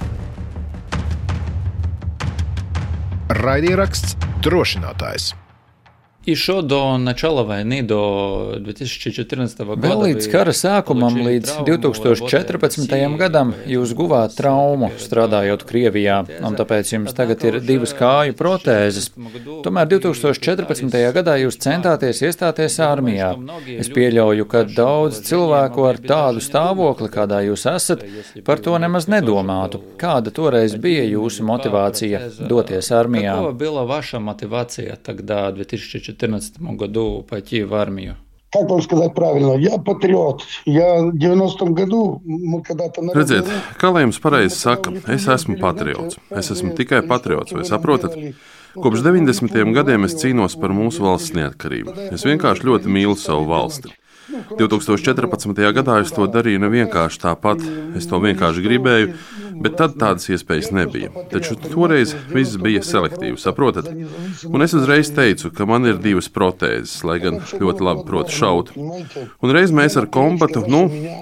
Raidieraksts Drošinātājs. Еще до начала войны, до 2014 года... Vēl līdz kara sākumam, līdz 2014. gadam, jūs guvāt traumu strādājot Krievijā, un tāpēc jums tagad ir 2 kāju protēzes. Tomēr 2014. gadā jūs centāties iestāties armijā. Es pieļauju, ka daudz cilvēku ar tādu stāvokli, kādā jūs esat, par to nemaz nedomātu. Kāda toreiz bija jūsu motivācija doties armijā? Какова была ваша мотивация тогда, в 2014 году пойти в армию? Как вам сказать правильно? Я патриот. Я в 90-м году, мы когда-то... Redziet, kā lai jums pareizi saka, es esmu patriots. Es esmu tikai patriots, vai saprotat? Kopš 90. gadiem es cīnos par mūsu valsts neatkarību. Es vienkārši ļoti mīlu savu valsti. 2014. gadā es to darīju ne vienkārši tāpat, es to vienkārši gribēju, bet tad tādas iespējas nebija. Taču toreiz viss bija selektīvi, saprotat? Un es uzreiz teicu, ka man ir 2 protēzes, lai gan ļoti labi protu šaut. Un reiz mēs ar kombatu,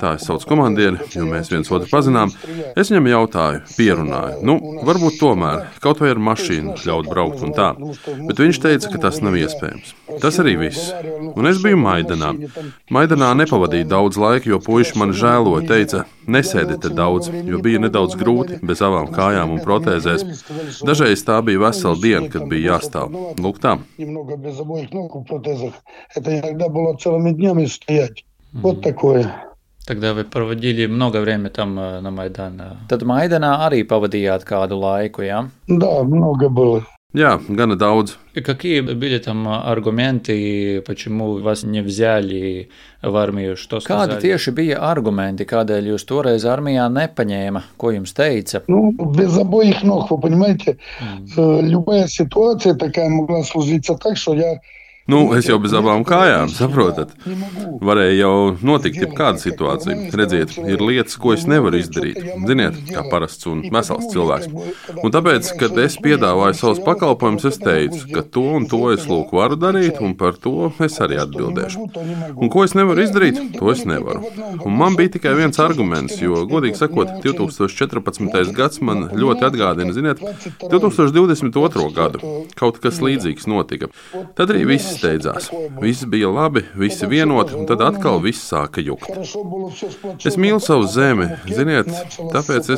tā es saucu komandieri, jo mēs viens otru pazinām, es viņam jautāju, pierunāju, varbūt tomēr, kaut vai ar mašīnu ļaut braukt un tā. Bet viņš teica, ka tas nav iespējams. Tas arī viss. Un es biju Maidanā. Maidanā nepavadīju daudz laika, jo puiši mani žēloja, teica, nesēdi te daudz, jo bija nedaudz grūti bez abām kājām un protēzēs. Dažreiz tā bija vesela diena, kad bija jāstāv. Lūk tā. Тогда вы проводили много времени там на Майдане. Tad Maidanā arī pavadījāt kādu laiku, jā? Да, много было. Jā, gana daudz. Какие были там аргументы, почему вас не взяли в армию? Что сказали? Kādi tieši bija argumenti, kādēļ jūs toreiz armijā nepaņēma? Ko jums teica? Без обоих ног, вы понимаете, любая ситуация такая могла сложиться так, что я Es jau bez abām kājām, saprotat? Varēja jau notikt jebkāda situācija. Redziet, ir lietas, ko es nevaru izdarīt. Ziniet, kā parasts un vesels cilvēks. Un tāpēc, kad es piedāvāju savus pakalpojumus, es teicu, ka to un to es varu darīt, un par to es arī atbildēšu. Un ko es nevaru izdarīt, to es nevaru. Un man bija tikai viens arguments, jo, godīgi sakot, 2014. gads man ļoti atgādina, ziniet, 2022. gadu. Kaut kas līdzīgs notika. Tad arī viss steidzās. Viss bija labi, visi vienoti, un tad atkal viss sāka jukt. Es mīlu savu zemi, ziniet, tāpēc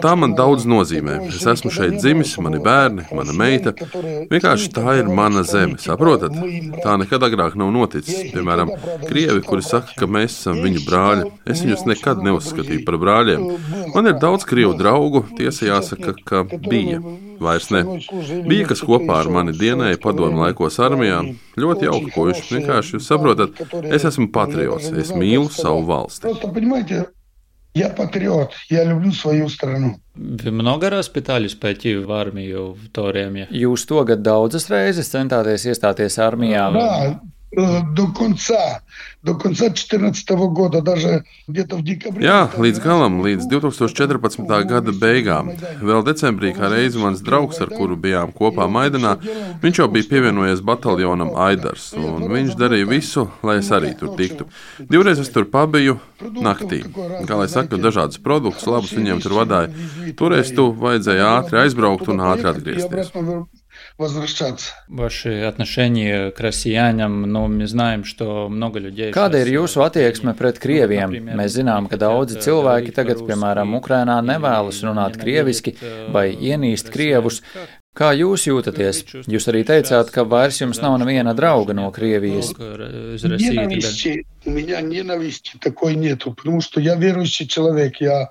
tā man daudz nozīmē. Es esmu šeit dzimis, mani bērni, mana meita. Vienkārši tā ir mana zeme, saprotat? Tā nekad agrāk nav noticis. Piemēram, krievi, kuri saka, ka mēs esam viņu brāļi. Es viņus nekad neuzskatīju par brāļiem. Man ir daudz krievu draugu, tiesa jāsaka, ka bija. Vairs ne. Bija, kas kopā ar mani dienēja padomu laikos armijā. Ļoti jauki, puiši. Vienkārši jūs saprotat, es esmu patriots, es mīlu savu valsti. Я патриот, я люблю свою страну. Вы много раз пытались пойти в армию в то время? Jūs tagad daudzas reizes centāties iestāties armijā? Да, до конца 2014 года, даже где-то в декабре. Jā, līdz galam, līdz 2014. gada beigām. Vēl decembrī, kā reizi mans draugs, ar kuru bijām kopā Maidanā, viņš jau bija pievienojies bataljonam Aidars, un viņš darīja visu, lai es arī tur tiktu. Divreiz es tur pabiju naktī. Kā lai saka, dažādas produktus, labus viņiem tur vadāja. Toreiz tu vajadzēja ātri aizbraukt un ātri atgriezties. Ваши отношения к россиянам, мы знаем, что много людей... Kāda ir jūsu attieksme pret krieviem? Mēs zinām, ka daudzi cilvēki tagad, piemēram, Ukrainā nevēlas runāt krieviski vai ienīst krievus. Kā jūs jūtaties? Jūs arī teicāt, ka vairs jums nav neviena drauga no Krievijas. У меня ненависти такой нету, потому что я верующий человек, я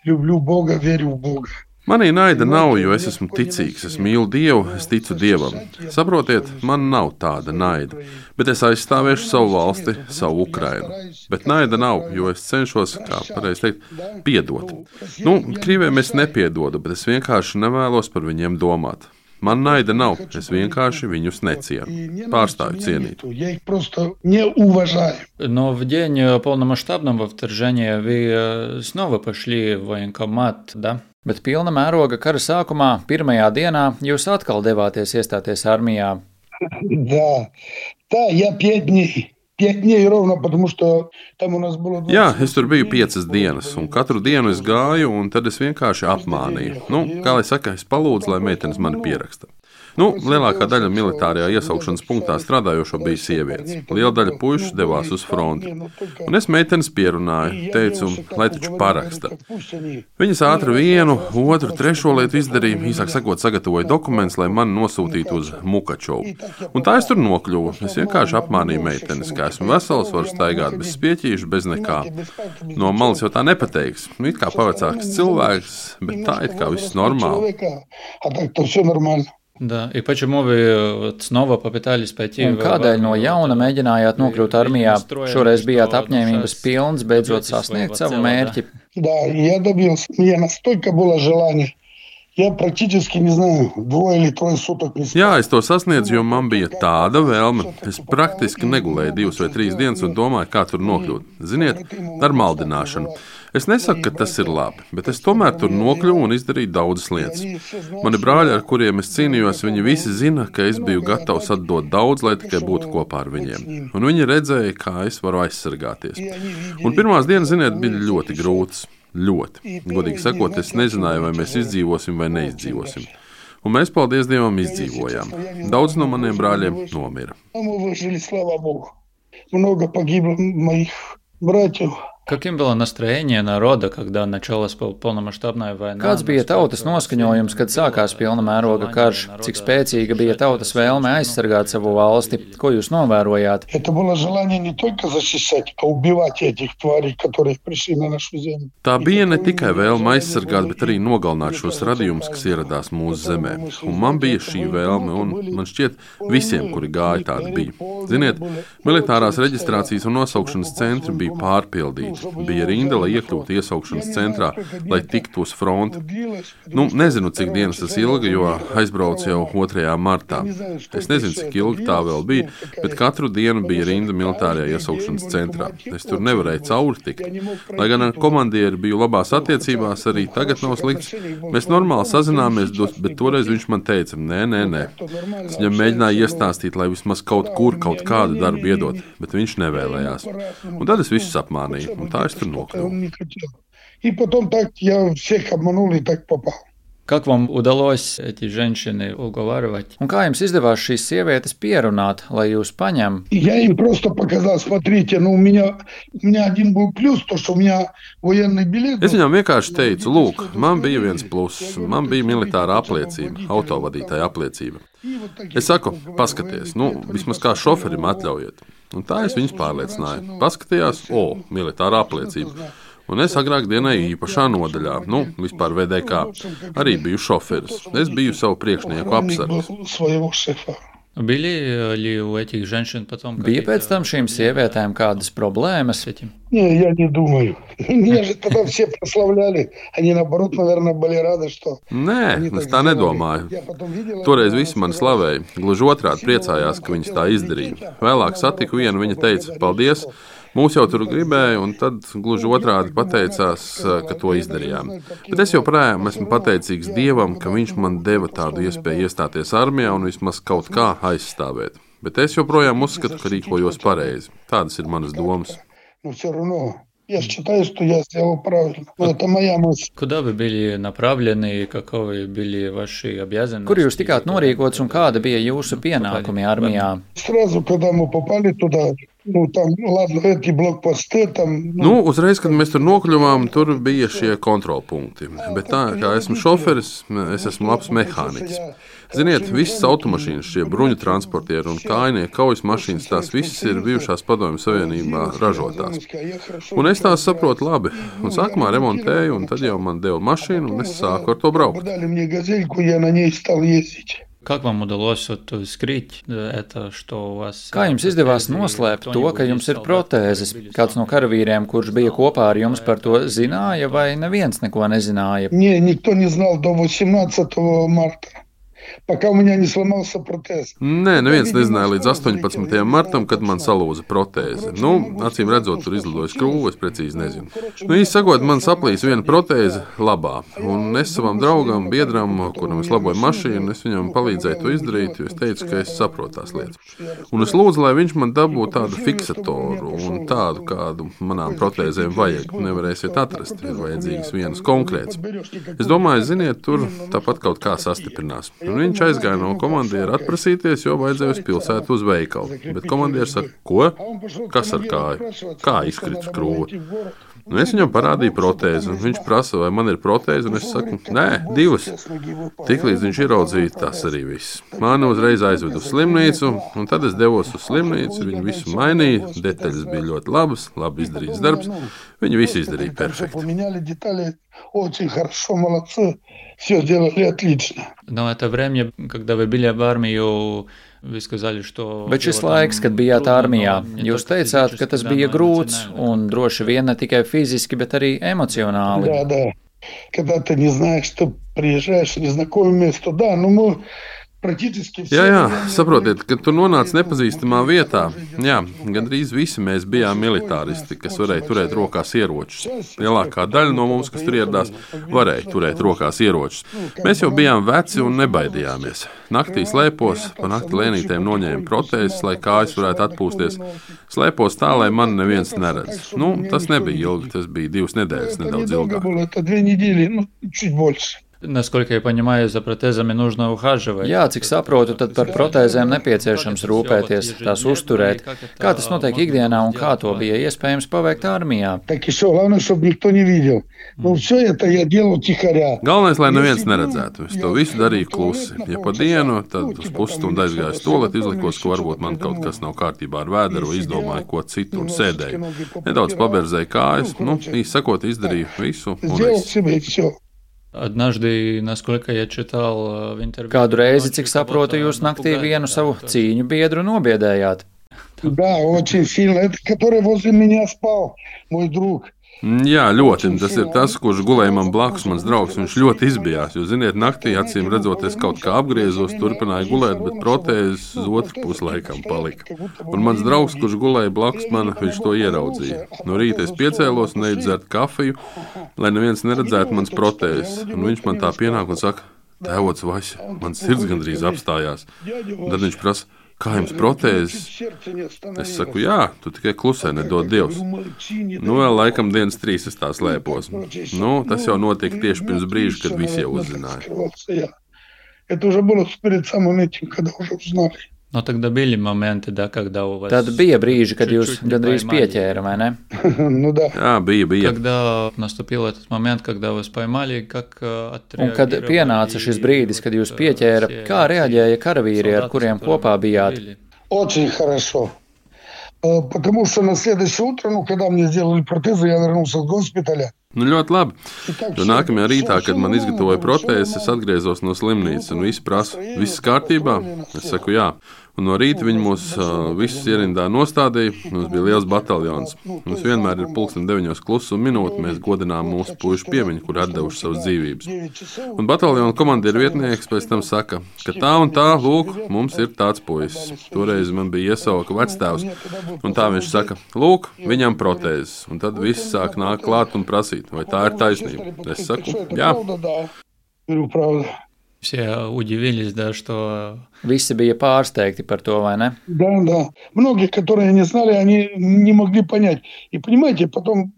люблю Бога, верю в Бога. Manī naida nav, jo es esmu ticīgs, es mīlu Dievu, es ticu Dievam. Saprotiet, man nav tāda naida, bet es aizstāvēšu savu valsti, savu Ukrainu. Bet naida nav, jo es cenšos, kā pareizi teikt, piedot. Krieviem es nepiedodu, bet es vienkārši nevēlos par viņiem domāt. Man naida nav, es vienkārši viņus necienu, pārstāju cienīt. Но в день полномасштабного вторжения вы снова пошли в военкомат, да? Bet pilna mēroga kara sākumā, pirmajā dienā, jūs atkal devāties iestāties armijā. Да, я 5 дней. 5 дней ровно, потому что там у нас было... Jā, es tur biju 5 dienas, un katru dienu es gāju, un tad es vienkārši apmānīju. Kā lai saka, es palūdzu, lai meitenes mani pieraksta. Lielākā daļa militārajā iesaukšanas punktā strādājošo bija sievietes. Liela daļa puišu devās uz fronti. Un es meitenes pierunāju, teicu, lai taču paraksta. Viņas ātri vienu, otru, trešo lietu izdarīja, īsāk sakot, sagatavoja dokumentus, lai mani nosūtītu uz Mukačovu. Un tā es tur nokļuvu. Es vienkārši apmānīju meitenes, ka esmu vesels, varu staigāt bez spieķīšu, bez nekā. No malas jau tā nepateiks. It kā pavecāks cilvēks, bet tā it kā viss normāli. Да, и почему вы снова попытались пойти в... Kādēļ no jauna mēģinājāt nokļūt armijā? Šoreiz bijāt apņēmības pilns beidzot sasniegt savu mērķi. Да, я добился. Мне настолько было желание. Я практически не знаю, 2 или 3 суток не спал. Jā, es to sasniedzu, jo man bija tāda vēlme. Es praktiski negulēju 2 vai 3 dienas un domāju, kā tur nokļūt. Ziniet, ar maldināšanu. Es nesaku, ka tas ir labi, bet es tomēr tur nokļuvu un izdarīju daudzas lietas. Mani brāļi, ar kuriem es cīnījos, viņi visi zina, ka es biju gatavs atdot daudz, lai tikai būtu kopā ar viņiem. Un viņi redzēja, kā es varu aizsargāties. Un pirmās dienas, ziniet, bija ļoti grūtas. Ļoti. Godīgi sakot, es nezināju, vai mēs izdzīvosim vai neizdzīvosim. Un mēs, paldies Dievam, izdzīvojām. Daudz no maniem brāļiem nomira. Много погибло моих братьев. Каким было настроение народа, когда началась полномасштабная война? Kāds bija tautas noskaņojums, kad sākās pilna mēroga karš? Cik spēcīga bija tautas vēlme aizsargāt savu valsti? Ko jūs novērojāt? Это было желание не только защищать, а убивать этих тварей, которые пришли на нашу землю. Tā bija ne tikai vēlme aizsargāt, bet arī nogalināt šos radījumus, kas ieradās mūsu zemē. Un man bija šī vēlme, un man šķiet, visiem, kuri gāja, tāda bija. Ziniet, militārās reģistrācijas un nosaukšanas centri bija pārpildīti. minūti bija rinda, lai iekļūtu iesaukšanas centrā, lai tiktu uz fronti. Nezinu, cik dienas tas ilga, jo aizbraucu jau 2. martā. Es nezinu, cik ilgi tā vēl bija, bet katru dienu bija rinda militārajā iesaukšanas centrā. Es tur nevarēju cauri tikt. Lai gan ar komandieri biju labās attiecībās, arī tagad nav slikts. Mēs normāli sazināmies, bet toreiz viņš man teica, nē. Es viņam mēģināju iestāstīt, lai vismaz kaut kādu darbu iedot, bet viņš nevēlējās. Un tad es visus apmānīju, un tā es tur nokļuvu. И потом так я всех обманул и так попал. Как вам удалось эти женщины уговаривать? Un kā jums izdevās šīs sievietes pierunāt, lai jūs paņem? Я им просто показал, смотрите, у меня один был плюс, то, что у меня военный билет. Es viņam vienkārši teicu, lūk, man bija viens pluss, man bija militāra apliecība, autovadītāja apliecība. Es saku, paskaties, vismaz kā šoferim atļaujiet. Un tā es viņus pārliecināju. Paskatījās, militāra apliecība. Un es agrāk dienēju īpašā nodaļā, vispār VDK. Arī biju šoferis. Es biju savu priekšnieku apsargs. Bija pēc tam šīm sievietēm kādas problēmas? Я не думаю. Меня же тогда все прославляли. Они, наоборот, наверное, были рады, что... Nē, es tā nedomāju. Toreiz visi mani slavēja. Gluži otrādi priecājās, ka viņas tā izdarīja. Vēlāk satiku vienu, viņa teica, paldies. Mūs jau tur gribēja, un tad gluži otrādi pateicās, ka to izdarījām. Bet es joprojām esmu pateicīgs Dievam, ka viņš man deva tādu iespēju iestāties armijā un vismaz kaut kā aizstāvēt. Bet es joprojām uzskatu, ka rīkojos pareizi. Tādas ir manas domas. Я считаю, что я сделал правильно. Но это моя мысль. Куда вы были направлены, каковы были ваши обязанности? Kur jūs tikāt norīkots un kāda bija jūsu pienākumi armijā? Сразу, когда мы попали туда, там, ладно, эти блокпосты, там... Uzreiz, kad mēs tur nokļuvām, tur bija šie kontrolpunkti. Bet tā, kā esmu šoferis, es esmu labs mehāniķis. Ziniet, visas automašīnas, šie bruņu transportieri un kājnieku kaujas mašīnas, tās visas ir bijušās Padomju Savienībā ražotās. Un es tās saprotu labi. Un sākumā remontēju, un tad jau man deva mašīnu, un es sāku ar to braukt. Как вам удалось скрыть это, что у вас... Kā jums izdevās noslēpt to, ka jums ir protēzes? Kāds no karavīriem, kurš bija kopā ar jums, par to zināja, vai neviens neko nezināja? Никто не знал до 18 марта. Пока у меня не сломался протез. Nē, neviens nezināja līdz 18. martam, kad man salūza protēze. Acīm redzot, tur izlidoja skrūve, es precīzi nezinu. Īsti sakot, man saplīs viena protēze labā. Un es savam draugam, biedram, kuram es laboju mašīnu, es viņam palīdzēju to izdarīt, jo es teicu, ka es saprotu tās lietas. Un es lūdzu, lai viņš man dabūtu tādu fiksatoru un tādu, kādu manām protēzēm vajag. Nevarēsiet atrast, ir vajadzīgas vienas konkrētas. Es domāju, ziniet, tur tāpat kaut kā sastiprinās. Un viņš aizgāja no komandiera atprasīties, jo vajadzēja uz pilsētu uz veikalu. Bet komandieris saka, ko? Kas ar kāju? Kā izkrita skrūve? Es viņam parādīju protēzi, un viņš prasa, vai man ir protēze, un es saku, nē, 2. Tiklīdz viņš ieraudzīja, tas arī viss. Mani uzreiz aizved uz slimnīcu, un tad es devos uz slimnīcu, viņi visu mainīja, detaļas bija ļoti labas, labi izdarīts darbs, viņi visu izdarīja perfekti. Все сделали отлично. Но это время, когда вы были в армию, вы сказали, что... Bet šis laiks, kad bijāt armijā, jūs teicāt, ka tas bija grūts un droši vien ne tikai fiziski, bet arī emocionāli. Да. Когда ты не знаешь, ты приезжаешь в незнакомое место, мы... Jā, saprotiet, kad tu nonāc nepazīstamā vietā, gandrīz visi mēs bijām militāristi, kas varēja turēt rokās ieročus. Lielākā daļa no mums, kas tur ieradās, varēja turēt rokās ieročus. Mēs jau bijām veci un nebaidījāmies. Naktī slēpos, pa nakti lēnītēm noņēma protēzes, lai kājas varētu atpūsties. Slēpos tā, lai man neviens neredz. Tas nebija ilgi, tas bija 2 nedēļas, nedaudz ilgāk. Насколько я понимаю, за протезами нужно ухаживать. Jā, cik saprotu, tad par protēzēm nepieciešams rūpēties, tās uzturēt. Kā tas notiek ikdienā un kā to bija iespējams paveikt armijā? Galvenais, lai neviens neredzētu. Es to visu darīju klusi. Ja pa dienu, tad uz pusstundu aizgāju uz tualeti, izlikos, ka varbūt man kaut kas nav kārtībā ar vēderu, izdomāju ko citu un sēdēju. Nedaudz paberzēju kājas, īsti sakot, izdarīju visu un es. Однажды, насколько я читал в интервью... Kādu reizi, cik saprotu, jūs naktī vienu savu cīņu biedru nobiedējāt? Да, очень сильно. Это который возле меня спал, мой друг. Jā, ļoti. Tas ir tas, kurš gulēja man blakus, mans draugs. Viņš ļoti izbijās. Jo, ziniet, naktī, acīm redzot, es kaut kā apgriezos, turpināju gulēt, bet protēzes uz otru pusi laikam palika. Un mans draugs, kurš gulēja blakus man, viņš to ieraudzīja. No rīta es piecēlos un eju dzert kafiju, lai neviens neredzētu mans protēzes. Un viņš man tā pienāk un saka, tēvots Vaļa, man sirds gandrīz apstājās. Un tad viņš prasa, kā jums protēzes? Es saku, jā, tu tikai klusē, nedod Dievs. Vēl laikam dienas 3 es tā slēpos. Tas jau notika tieši pirms brīža, kad visi jau uzzināja. Тогда были моменты, да, когда у вас... Tad bija brīži, kad jūs gandrīz pieķēra, vai ne? Jā, bija. Когда наступил этот момент, когда вас поймали, как Un kad pienāca šis brīdis, kad jūs pieķēra, kā reaģēja karavīri, ar kuriem kopā bijāt? Очень хорошо. Потому что на следующее утро, когда мне сделали протезы, я вернулся с госпиталя. Ļoti labi. Jo nākamajā rītā, kad man izgatavoja protēzes, es atgriezos no slimnīcas un visi prasa, viss kārtībā? Es saku, jā. Un no rīta viņi mūs visus ierindā nostādīja. Mums bija liels bataljons. Mums vienmēr ir 9:00 klusuma minūte. Mēs godinām mūsu puišu piemiņu, kur atdevuši savas dzīvības. Un bataljona komandieru vietnieks pēc tam saka, ka tā un tā, lūk, mums ir tāds puisis. Toreiz man bija iesauka vectēvs. Un tā viņš saka, lūk, viņam protēzes. Un tad viss sāk nākt klāt un prasīt, vai tā ir taisnība. Es saku, jā. Все удивились, да, что... Visi bija pārsteigti par to, vai ne? Да. Многие, которые не знали, они не могли понять. И понимаете, потом...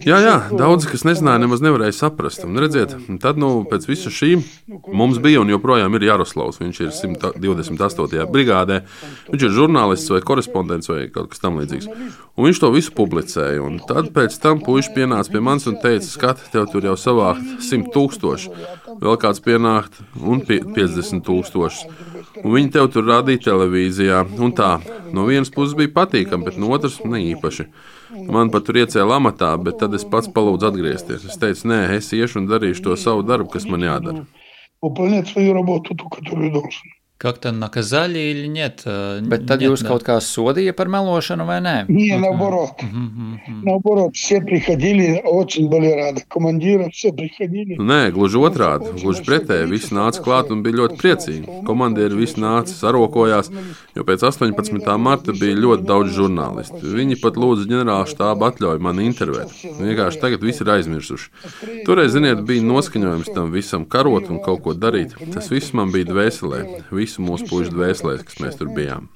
Jā, daudzi, kas nezināja, nemaz nevarēja saprast. Un redziet, tad, pēc visa šī mums bija un joprojām ir Jaroslavs. Viņš ir 128. brigādē. Viņš ir žurnālists vai korespondents vai kaut kas tam līdzīgs. Un viņš to visu publicēja. Un tad pēc tam puiši pienāca pie manis un teica, skat, tev tur jau savākt 100,000. Vēl kāds pienākt un 50,000. Un viņi tev tur rādīja televīzijā. Un tā, no vienas puses bija patīkami, bet no otras ne īpaši. Man pat tur iecēla amatā, bet tad es pats palūdzu atgriezties. Es teicu, nē, es iešu un darīšu to savu darbu, kas man jādara. Как-то наказали или нет? Bet tad jūs kaut kā sodīja par melošanu vai nē? Не, наоборот. Наоборот, все приходили, очень были рады. Командиры все приходили. Nē, gluži otrādi. Gluži pretēji. Visi nāca klāt un bija ļoti priecīgi. Komandieri visi nāca, sarokojās, jo pēc 18. marta bija ļoti daudz žurnālistu. Viņi pat lūdza ģenerāla štāba atļauju mani intervēt. Vienkārši tagad visi ir aizmirsuši. Toreiz, ziniet, bija noskaņojums tam visam karot un kaut ko darīt. Tas viss man bija dvēselē. Visu mūsu puišu dvēselēs, kas mēs tur bijām.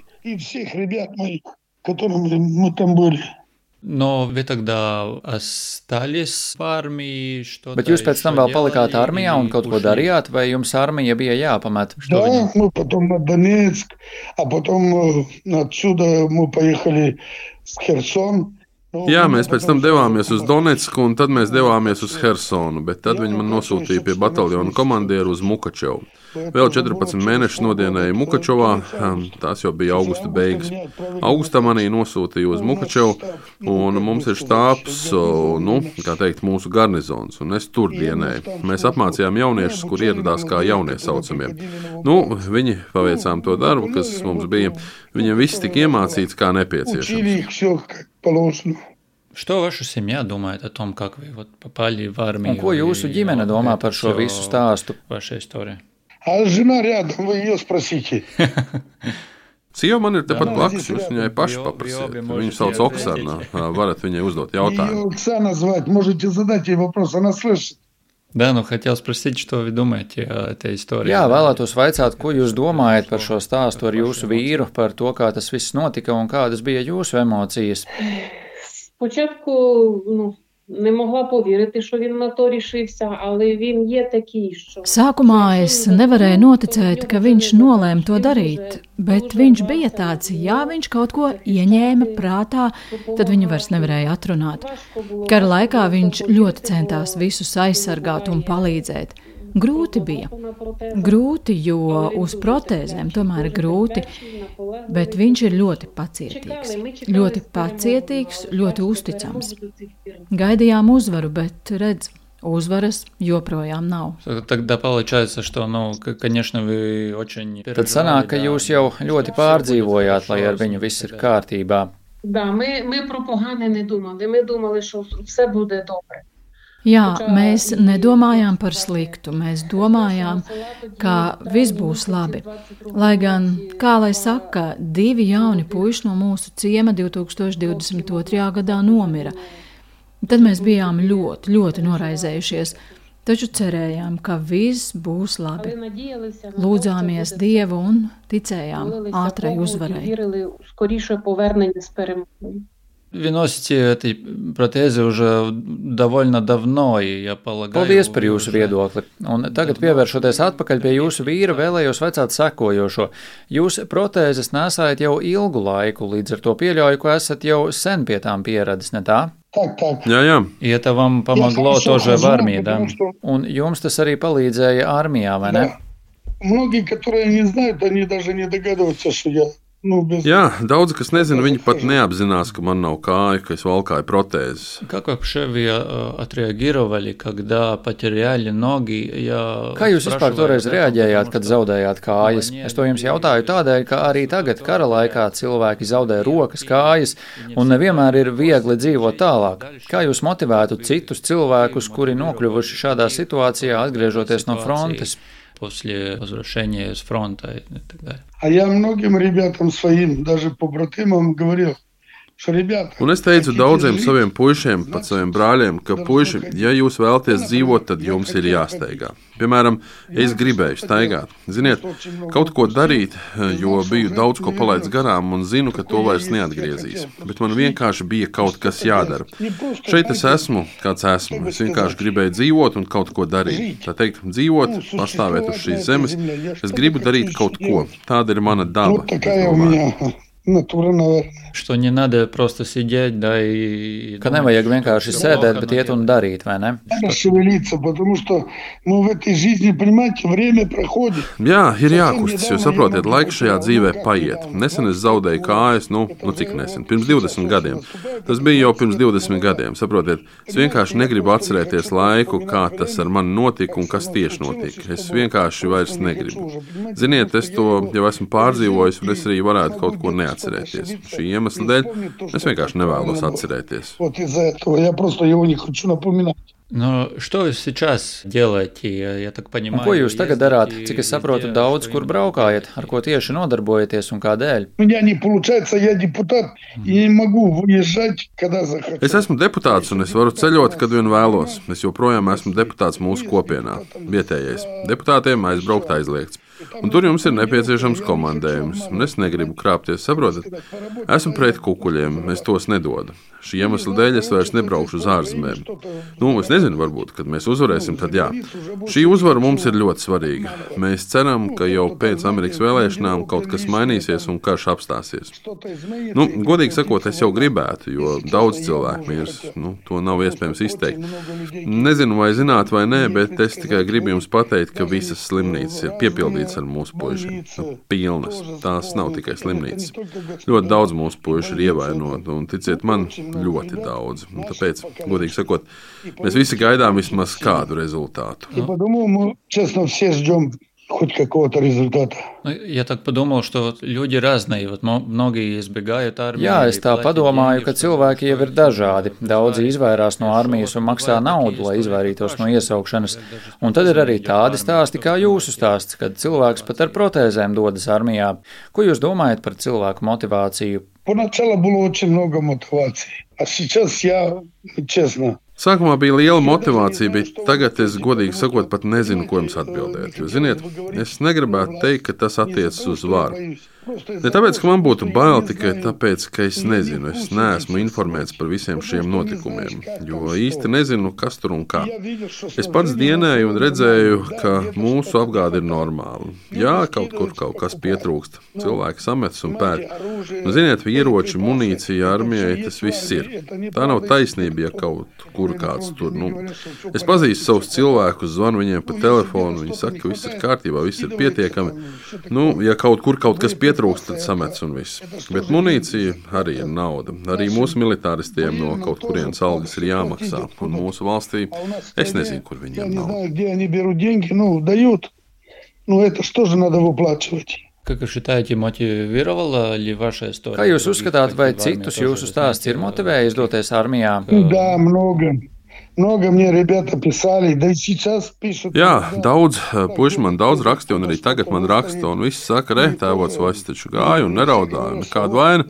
Но вы тогда остались в армии, что-то... Bet jūs pēc tam vēl palikāt armijā un kaut ko darījāt, vai jums armija bija jāpamet? Да, мы потом на Донецк, а потом отсюда мы поехали в Херсон. Jā, mēs pēc tam devāmies uz Donetsku, un tad mēs devāmies uz Hersonu, bet tad viņi man nosūtīja pie bataljona komandieru uz Mukačevu. Vēl 14 mēnešus nodienēju Mukačevā, tās jau bija augusta beigas. Augustā manī nosūtīja uz Mukačevu, un mums ir štābs, kā teikt, mūsu garnizons, un es tur dienēju. Mēs apmācījām jauniešus, kur ieradās kā jaunie saucamie. Viņi paveicām to darbu, kas mums bija. Viņiem viss tika iemācīts kā nepieciešams. Что ваша семья думает о том, как вы попали в армию? Un ko jūsu ģimene domā par šo visu stāstu? Ваша история. А жена рядом, вы ее спросите. Sieva man ir tepat blakus, jūs viņai paši paprasiet. Viņu sauc Oksana, varat viņai uzdot jautājumu. Ее Оксана звать, можете задать ей вопрос, она слышит. Да, хотел спросить, что вы думаете о этой истории. Jā, vēlētos vaicāt, ko jūs domājat par šo stāstu ar jūsu vīru, par to, kā tas viss notika un kādas bija jūsu emocijas. Спочатку, не могла повірити, що він на то рішився, але він є такий, що... Sākumā es nevarēju noticēt, ka viņš nolēma to darīt, bet viņš bija tāds, ja viņš kaut ko ieņēma prātā, tad viņu vairs nevarēja atrunāt. Kara laikā viņš ļoti centās visus aizsargāt un palīdzēt. Grūti bija. Grūti, jo uz protēzēm tomēr ir grūti, bet viņš ir ļoti pacietīgs. Ļoti pacietīgs, ļoti uzticams. Gaidījām uzvaru, bet redz, Uzvaras joprojām nav. Тогда получается, что, конечно, вы очень... Tad sanāk, ka jūs jau ļoti pārdzīvojāt, lai ar viņu viss ir kārtībā. Да, ми про погане не думали. Ми думали, що все буде добре. Jā, mēs nedomājām par sliktu, mēs domājām, ka viss būs labi. Lai gan, kā lai saka, 2 jauni puiši no mūsu ciema 2022. gadā nomira. Tad mēs bijām ļoti, ļoti noraizējušies, taču cerējām, ka viss būs labi. Lūdzāmies Dievu un ticējām ātrai uzvarai. Вы носите эти протезы уже довольно давно, и я полагаю... Paldies par jūsu viedokli. Un tagad, pievēršoties atpakaļ pie jūsu vīra, vēlējos vaicāt sekojošo. Jūs protēzes nesājat jau ilgu laiku, līdz ar to pieļauju, ka esat jau sen pie tām pieradis, ne tā? Так. Jā. И это вам помогло тоже в армии, да? Un jums tas arī palīdzēja armijā, vai ne? Многие, которые не знают, они даже не догадываются, что я... Jā, daudzi, kas nezina, viņi pat neapzinās, ka man nav kāja, ka es valkāju protēzes. Как вообще вы отреагировали, когда потеряли ноги? Kā jūs vispār toreiz reaģējāt, kad zaudējāt kājas? Es to jums jautāju tādēļ, ka arī tagad kara laikā cilvēki zaudē rokas, kājas, un nevienmēr ir viegli dzīvot tālāk. Kā jūs motivētu citus cilvēkus, kuri nokļuvuši šādā situācijā, atgriežoties no frontes? После возвращения с фронта и так далее. А я многим ребятам своим, даже побратимам говорил, Un es teicu daudziem saviem puišiem, pat saviem brāļiem, ka puiši, ja jūs vēlaties dzīvot, tad jums ir jāsteigā. Piemēram, es gribēju staigāt. Ziniet, kaut ko darīt, jo biju daudz ko palaidis garām un zinu, ka to vairs neatgriezīs. Bet man vienkārši bija kaut kas jādara. Šeit es esmu, kāds esmu. Es vienkārši gribēju dzīvot un kaut ko darīt. Tā teikt, dzīvot, pastāvēt uz šīs zemes. Es gribu darīt kaut ko. Tāda ir mana daba. Что не надо просто сидеть, да, и... Ka nevajag vienkārši sēdēt, bet iet un darīt, vai ne? Jā, ir jākustas, jo saprotiet, laiks šajā dzīvē paiet. Nesen es zaudēju kājas, cik nesen, pirms 20 gadiem. Tas bija jau pirms 20 gadiem, saprotiet. Es vienkārši negribu atcerēties laiku, kā tas ar mani notika un kas tieši notika. Es vienkārši vairs negribu. Ziniet, es to jau esmu pārdzīvojis, un es arī varētu kaut ko neatcerēties. Šī iemesla dēļ es vienkārši nevēlos atcerēties. Но что вы сейчас делаете, я так понимаю? Ko jūs tagad darāt? Cik es saprotu, daudz kur braukājat, ar ko tieši nodarbojaties un kādēļ? Es esmu deputāts un es varu ceļot, kad vien vēlos. Es joprojām esmu deputāts mūsu kopienā, vietējais. Deputātiem aizbraukt aizliegts. Un tur jums ir nepieciešams komandējums, un es negribu krāpties, saprotat? Esmu pret kukuļiem, es tos nedodu. Šī iemesla dēļ es vairs nebraukšu uz ārzemēm. Es nezinu, varbūt, kad mēs uzvarēsim, tad jā. Šī uzvara mums ir ļoti svarīga. Mēs ceram, ka jau pēc Amerikas vēlēšanām kaut kas mainīsies un karš apstāsies. Godīgi sakot, es jau gribētu, jo daudz cilvēku mirs, to nav iespējams izteikt. Nezinu, vai zināt vai nē, bet es tikai gribu jums pateikt, ka visas slimnīcas ir piepildītas ar mūsu puišiem. Pilnas. Tās nav tikai slimnīcas. Ļoti daudz mūsu puiši ir ievainoti, un ticiet man, ļoti daudz. Un tāpēc, godīgi sakot, mēs visi gaidām vismaz kādu rezultātu. Я так подумал, что люди разные, многие избегают армии. Jā, es tā padomāju, ka cilvēki jau ir dažādi. Daudzi izvairās no armijas un maksā naudu, lai izvairītos no iesaukšanas. Un tad ir arī tādi stāsti kā jūsu stāsts, kad cilvēks pat ar protēzēm dodas armijā. Ko jūs domājat par cilvēku motivāciju? Поначалу было очень много мотивации, а сейчас я, честно, Sākumā bija liela motivācija, bet tagad es, godīgi sakot, pat nezinu, ko jums atbildēt. Jo, ziniet, es negribētu teikt, ka tas attiecas uz varu. Ne tāpēc, ka man būtu bail, tikai tāpēc, ka es nezinu, es neesmu informēts par visiem šiem notikumiem, jo īsti nezinu, kas tur un kā. Es pats dienēju un redzēju, ka mūsu apgāde ir normāla. Jā, kaut kur kaut kas pietrūkst, cilvēki sametas un pērk. Ziniet, ieroči, munīcija, armijai, tas viss ir. Tā nav taisnība, ja kaut kur kāds tur. Es pazīstu savus cilvēkus, zvanu viņiem pa telefonu, viņi saka, ka viss ir kārtībā, viss ir pietiekami. Ja kaut kur kaut kas pietrūkst, pietrūkst, tad samets un viss. Bet munīcija arī ir nauda. Arī mūsu militāristiem no kaut kurienes algas ir jāmaksā. Un mūsu valstī es nezinu, kur viņiem nav. Это что же надо выплачивать? Как вы считаете, мотивировала ли ваша история? Kā jūs uzskatāt, vai citus jūsu stāsts ir motivējis doties armijā? Да, много мне ребята писали, да и сейчас пишут. Jā, daudz puiši man daudz raksta, un arī tagad man raksta, un visi saka, tēvots vairs taču gāja un neraudāja, nekāda vaina.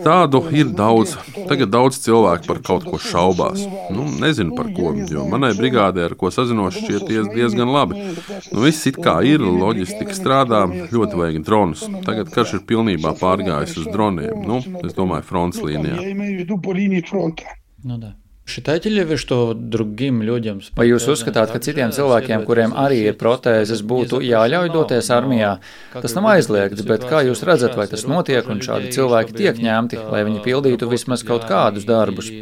Tādu ir daudz. Tagad daudz cilvēku par kaut ko šaubās. Nezinu par ko, jo manai brigādē, ar ko sazinos, šķiet diezgan labi. Viss it kā ir, loģistika strādā, ļoti vajag dronus. Tagad karš ir pilnībā pārgājis uz droniem. Es domāju, fronts līnijā. Да. Считаете ли вы, что другим людям... Vai jūs uzskatāt, ka citiem cilvēkiem, kuriem arī ir protēzes, būtu jāļauj doties armijā? Tas nav aizliegts, bet kā jūs redzat, vai tas notiek un šādi cilvēki tiek ņemti, lai viņi pildītu vismaz kaut kādus darbus?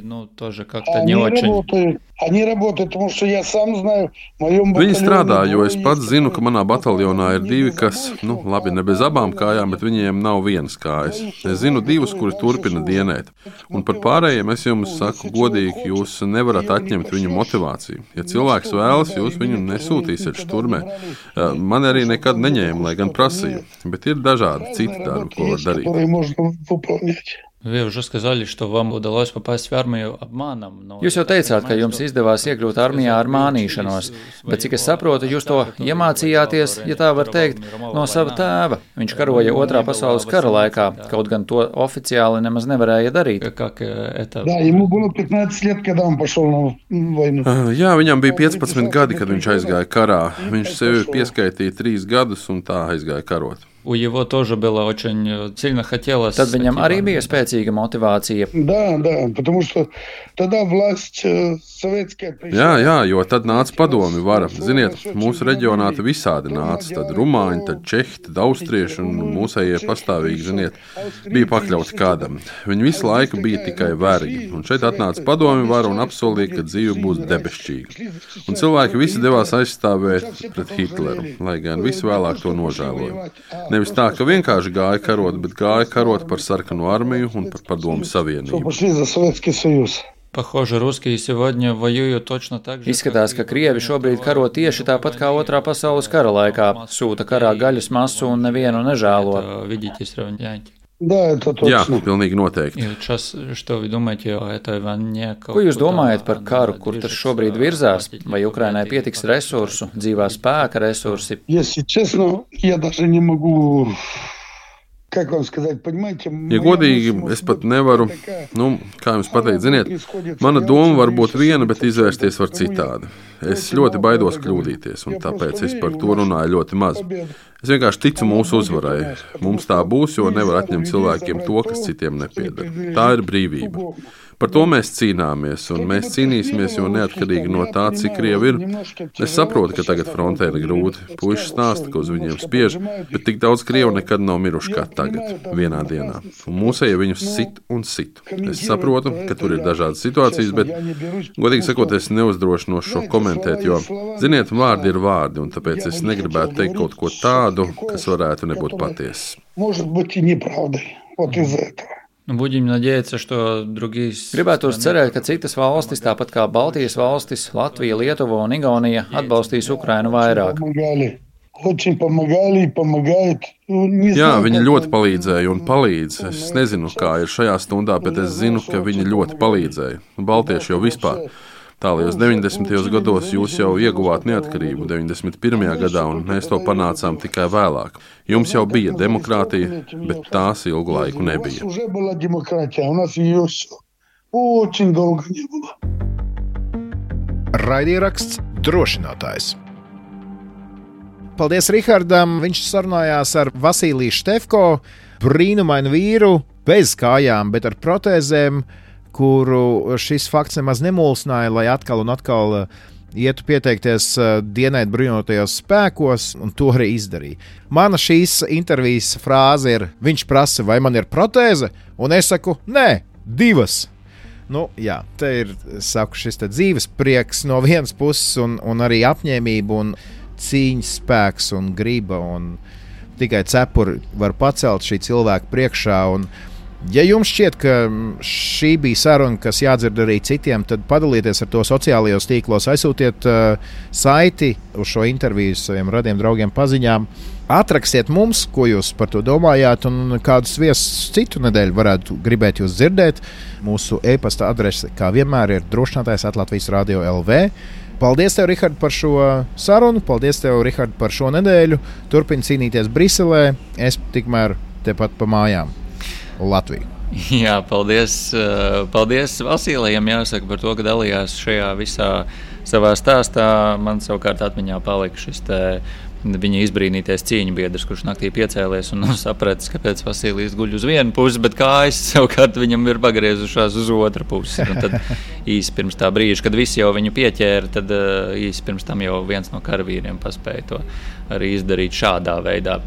Viņi strādā, jo es pats zinu, ka manā bataljonā ir divi, kas, labi, ne bez abām kājām, bet viņiem nav vienas kājas. Es zinu divus, kuri turpina dienēt. Un par pārējiem es jums saku godīgi, jūs nevarat atņemt viņu motivāciju. Ja cilvēks vēlas, jūs viņu nesūtīsiet šturmē. Man arī nekad neņēma, lai gan prasīju, bet ir dažādi citi darbi, ko var darīt. Вы уже сказали, что вам удалось попасть в армию обманом. Jūs jau teicāt, ka jums izdevās iekļūt armijā ar mānīšanos, bet cik es saprotu, jūs to iemācījāties, ja tā var teikt, no sava tēva. Viņš karoja Otrā pasaules kara laikā, kaut gan to oficiāli nemaz nevarēja darīt. Jā, viņam bija 15 gadi, kad viņš aizgāja karā. Viņš sevi pieskaitīja 3 gadus un tā aizgāja karot. У его тоже было очень сильно хотелось. Tad viņam arī bija spēcīga motivācija. Да, потому что тогда власть советская пришла. Jā, jo tad nāca padomi vara. Ziniet, mūsu reģionā te visādi nāca. Tad rumāņi, tad čehi, tad austrieši un mūsējie pastāvīgi, ziniet, bija pakļauti kādam. Viņi visu laiku bija tikai vergi. Un šeit atnāca padomi vara un apsolīja, ka dzīve būs debesšķīga. Un cilvēki visi devās aizstāvēt pret Hitleru, lai gan visi vēlāk to nožēloja. Nevis tā, ka vienkārši gāja karot, bet gāja karot par sarkanu armiju un par padomu savienību. Izskatās, ka Krievi šobrīd karo tieši tāpat kā Otrā pasaules kara laikā. Sūta karā gaļas masu un nevienu nežēlo. Jā, pilnīgi noteikti. Ko jūs domājat par karu, kur tas šobrīd virzās? Vai Ukrainai pietiks resursu, dzīvā spēka resursi? Ja godīgi, es pat nevaru, kā jums pateikt, ziniet, mana doma var būt viena, bet izvērsties var citādi. Es ļoti baidos kļūdīties, un tāpēc es par to runāju ļoti maz. Es vienkārši ticu mūsu uzvarai. Mums tā būs, jo nevar atņemt cilvēkiem to, kas citiem nepieder. Tā ir brīvība. Par to mēs cīnāmies, un mēs cīnīsimies, jo neatkarīgi no tā, cik Krievi ir. Es saprotu, ka tagad frontē ir grūti. Puiši stāsta, ka uz viņiem spiež, bet tik daudz Krievu nekad nav miruši kā tagad, vienā dienā. Un mūsēji viņus sit un sit. Es saprotu, ka tur ir dažādas situācijas, bet, godīgi sakot, es neuzdrošinos šo komentēt, jo, ziniet, vārdi ir vārdi, un tāpēc es negribētu teikt kaut ko tādu, kas varētu nebūt patiesas. Gribētos cerēt, ka citas valstis, tāpat kā Baltijas valstis, Latvija, Lietuva un Igaunija, atbalstīs Ukrainu vairāk. Jā, viņi ļoti palīdzēja un palīdz. Es nezinu, kā ir šajā stundā, bet es zinu, ka viņi ļoti palīdzēja. Baltieši jau vispār. Tālajos 90. gados jūs jau ieguvāt neatkarību 91. gadā, un mēs to panācām tikai vēlāk. Jums jau bija demokrātija, bet tās ilgu laiku nebija. Raidieraksts Drošinātājs. Paldies Rihardam, viņš sarunājās ar Vasiliju Štefko, brīnumainu vīru, bez kājām, bet ar protēzēm, kuru šis fakts nemaz nemulsināja, lai atkal un atkal ietu pieteikties dienēt bruņotajos spēkos, un to arī izdarīja. Mana šīs intervijas frāze ir, viņš prasa, vai man ir protēze, un es saku, nē, 2. Jā, te ir, saku, šis te dzīves prieks no vienas puses, un arī apņēmība, un cīņas spēks, un griba, un tikai cepuri var pacelt šī cilvēka priekšā. Un, ja jums šķiet, ka šī bija saruna, kas jādzird arī citiem, tad padalieties ar to sociālajos tīklos, aizsūtiet saiti uz šo interviju saviem radiem draugiem paziņām. Atrakstiet mums, ko jūs par to domājāt, un kādus viesus citu nedēļu varētu gribēt jūs dzirdēt. Mūsu e-pasta adrese, kā vienmēr, ir drošinātājs@latvijas-radio.lv. Paldies tev, Rihard, par šo sarunu. Paldies tev, Rihard, par šo nedēļu. Turpini cīnīties Briselē. Es tikmēr tepat pa mājām. Latviju. Jā, paldies. Paldies Vasilijam, jāsaka, par to, ka dalījās šajā visā savā stāstā. Man savukārt atmiņā palika šis viņa izbrīnītais cīņu biedrs, kurš naktī piecēlies un nav sapratis, kāpēc Vasilijs guļ uz vienu pusi, bet kājas savukārt viņam ir pagriezušās uz otru pusi. Un tad īsi pirms tā brīža, kad visi jau viņu pieķēra, tad īsi pirms tam jau viens no karavīriem paspēja to arī izdarīt šādā veidā.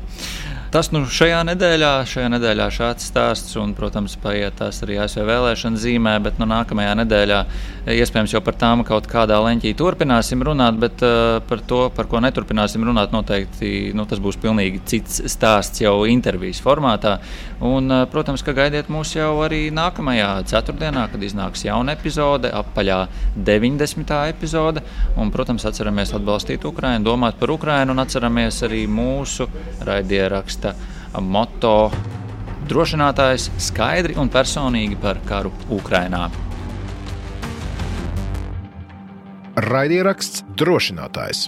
Tas šajā nedēļā šāds stāsts, un, protams, paiet tās arī ASV vēlēšana zīmē, bet nākamajā nedēļā iespējams jau par tām kaut kādā leņķī turpināsim runāt, bet par to, par ko neturpināsim runāt, noteikti tas būs pilnīgi cits stāsts jau intervijas formātā. Un, protams, ka gaidiet mūs jau arī nākamajā ceturtdienā, kad iznāks jauna epizode, apaļā 90. epizode, un, protams, atceramies atbalstīt Ukrainu, domāt par Ukrainu un atceramies arī mūsu raidierakstu motto drošinātājs skaidri un personīgi par karu Ukrainā. Raidieraksts drošinātājs.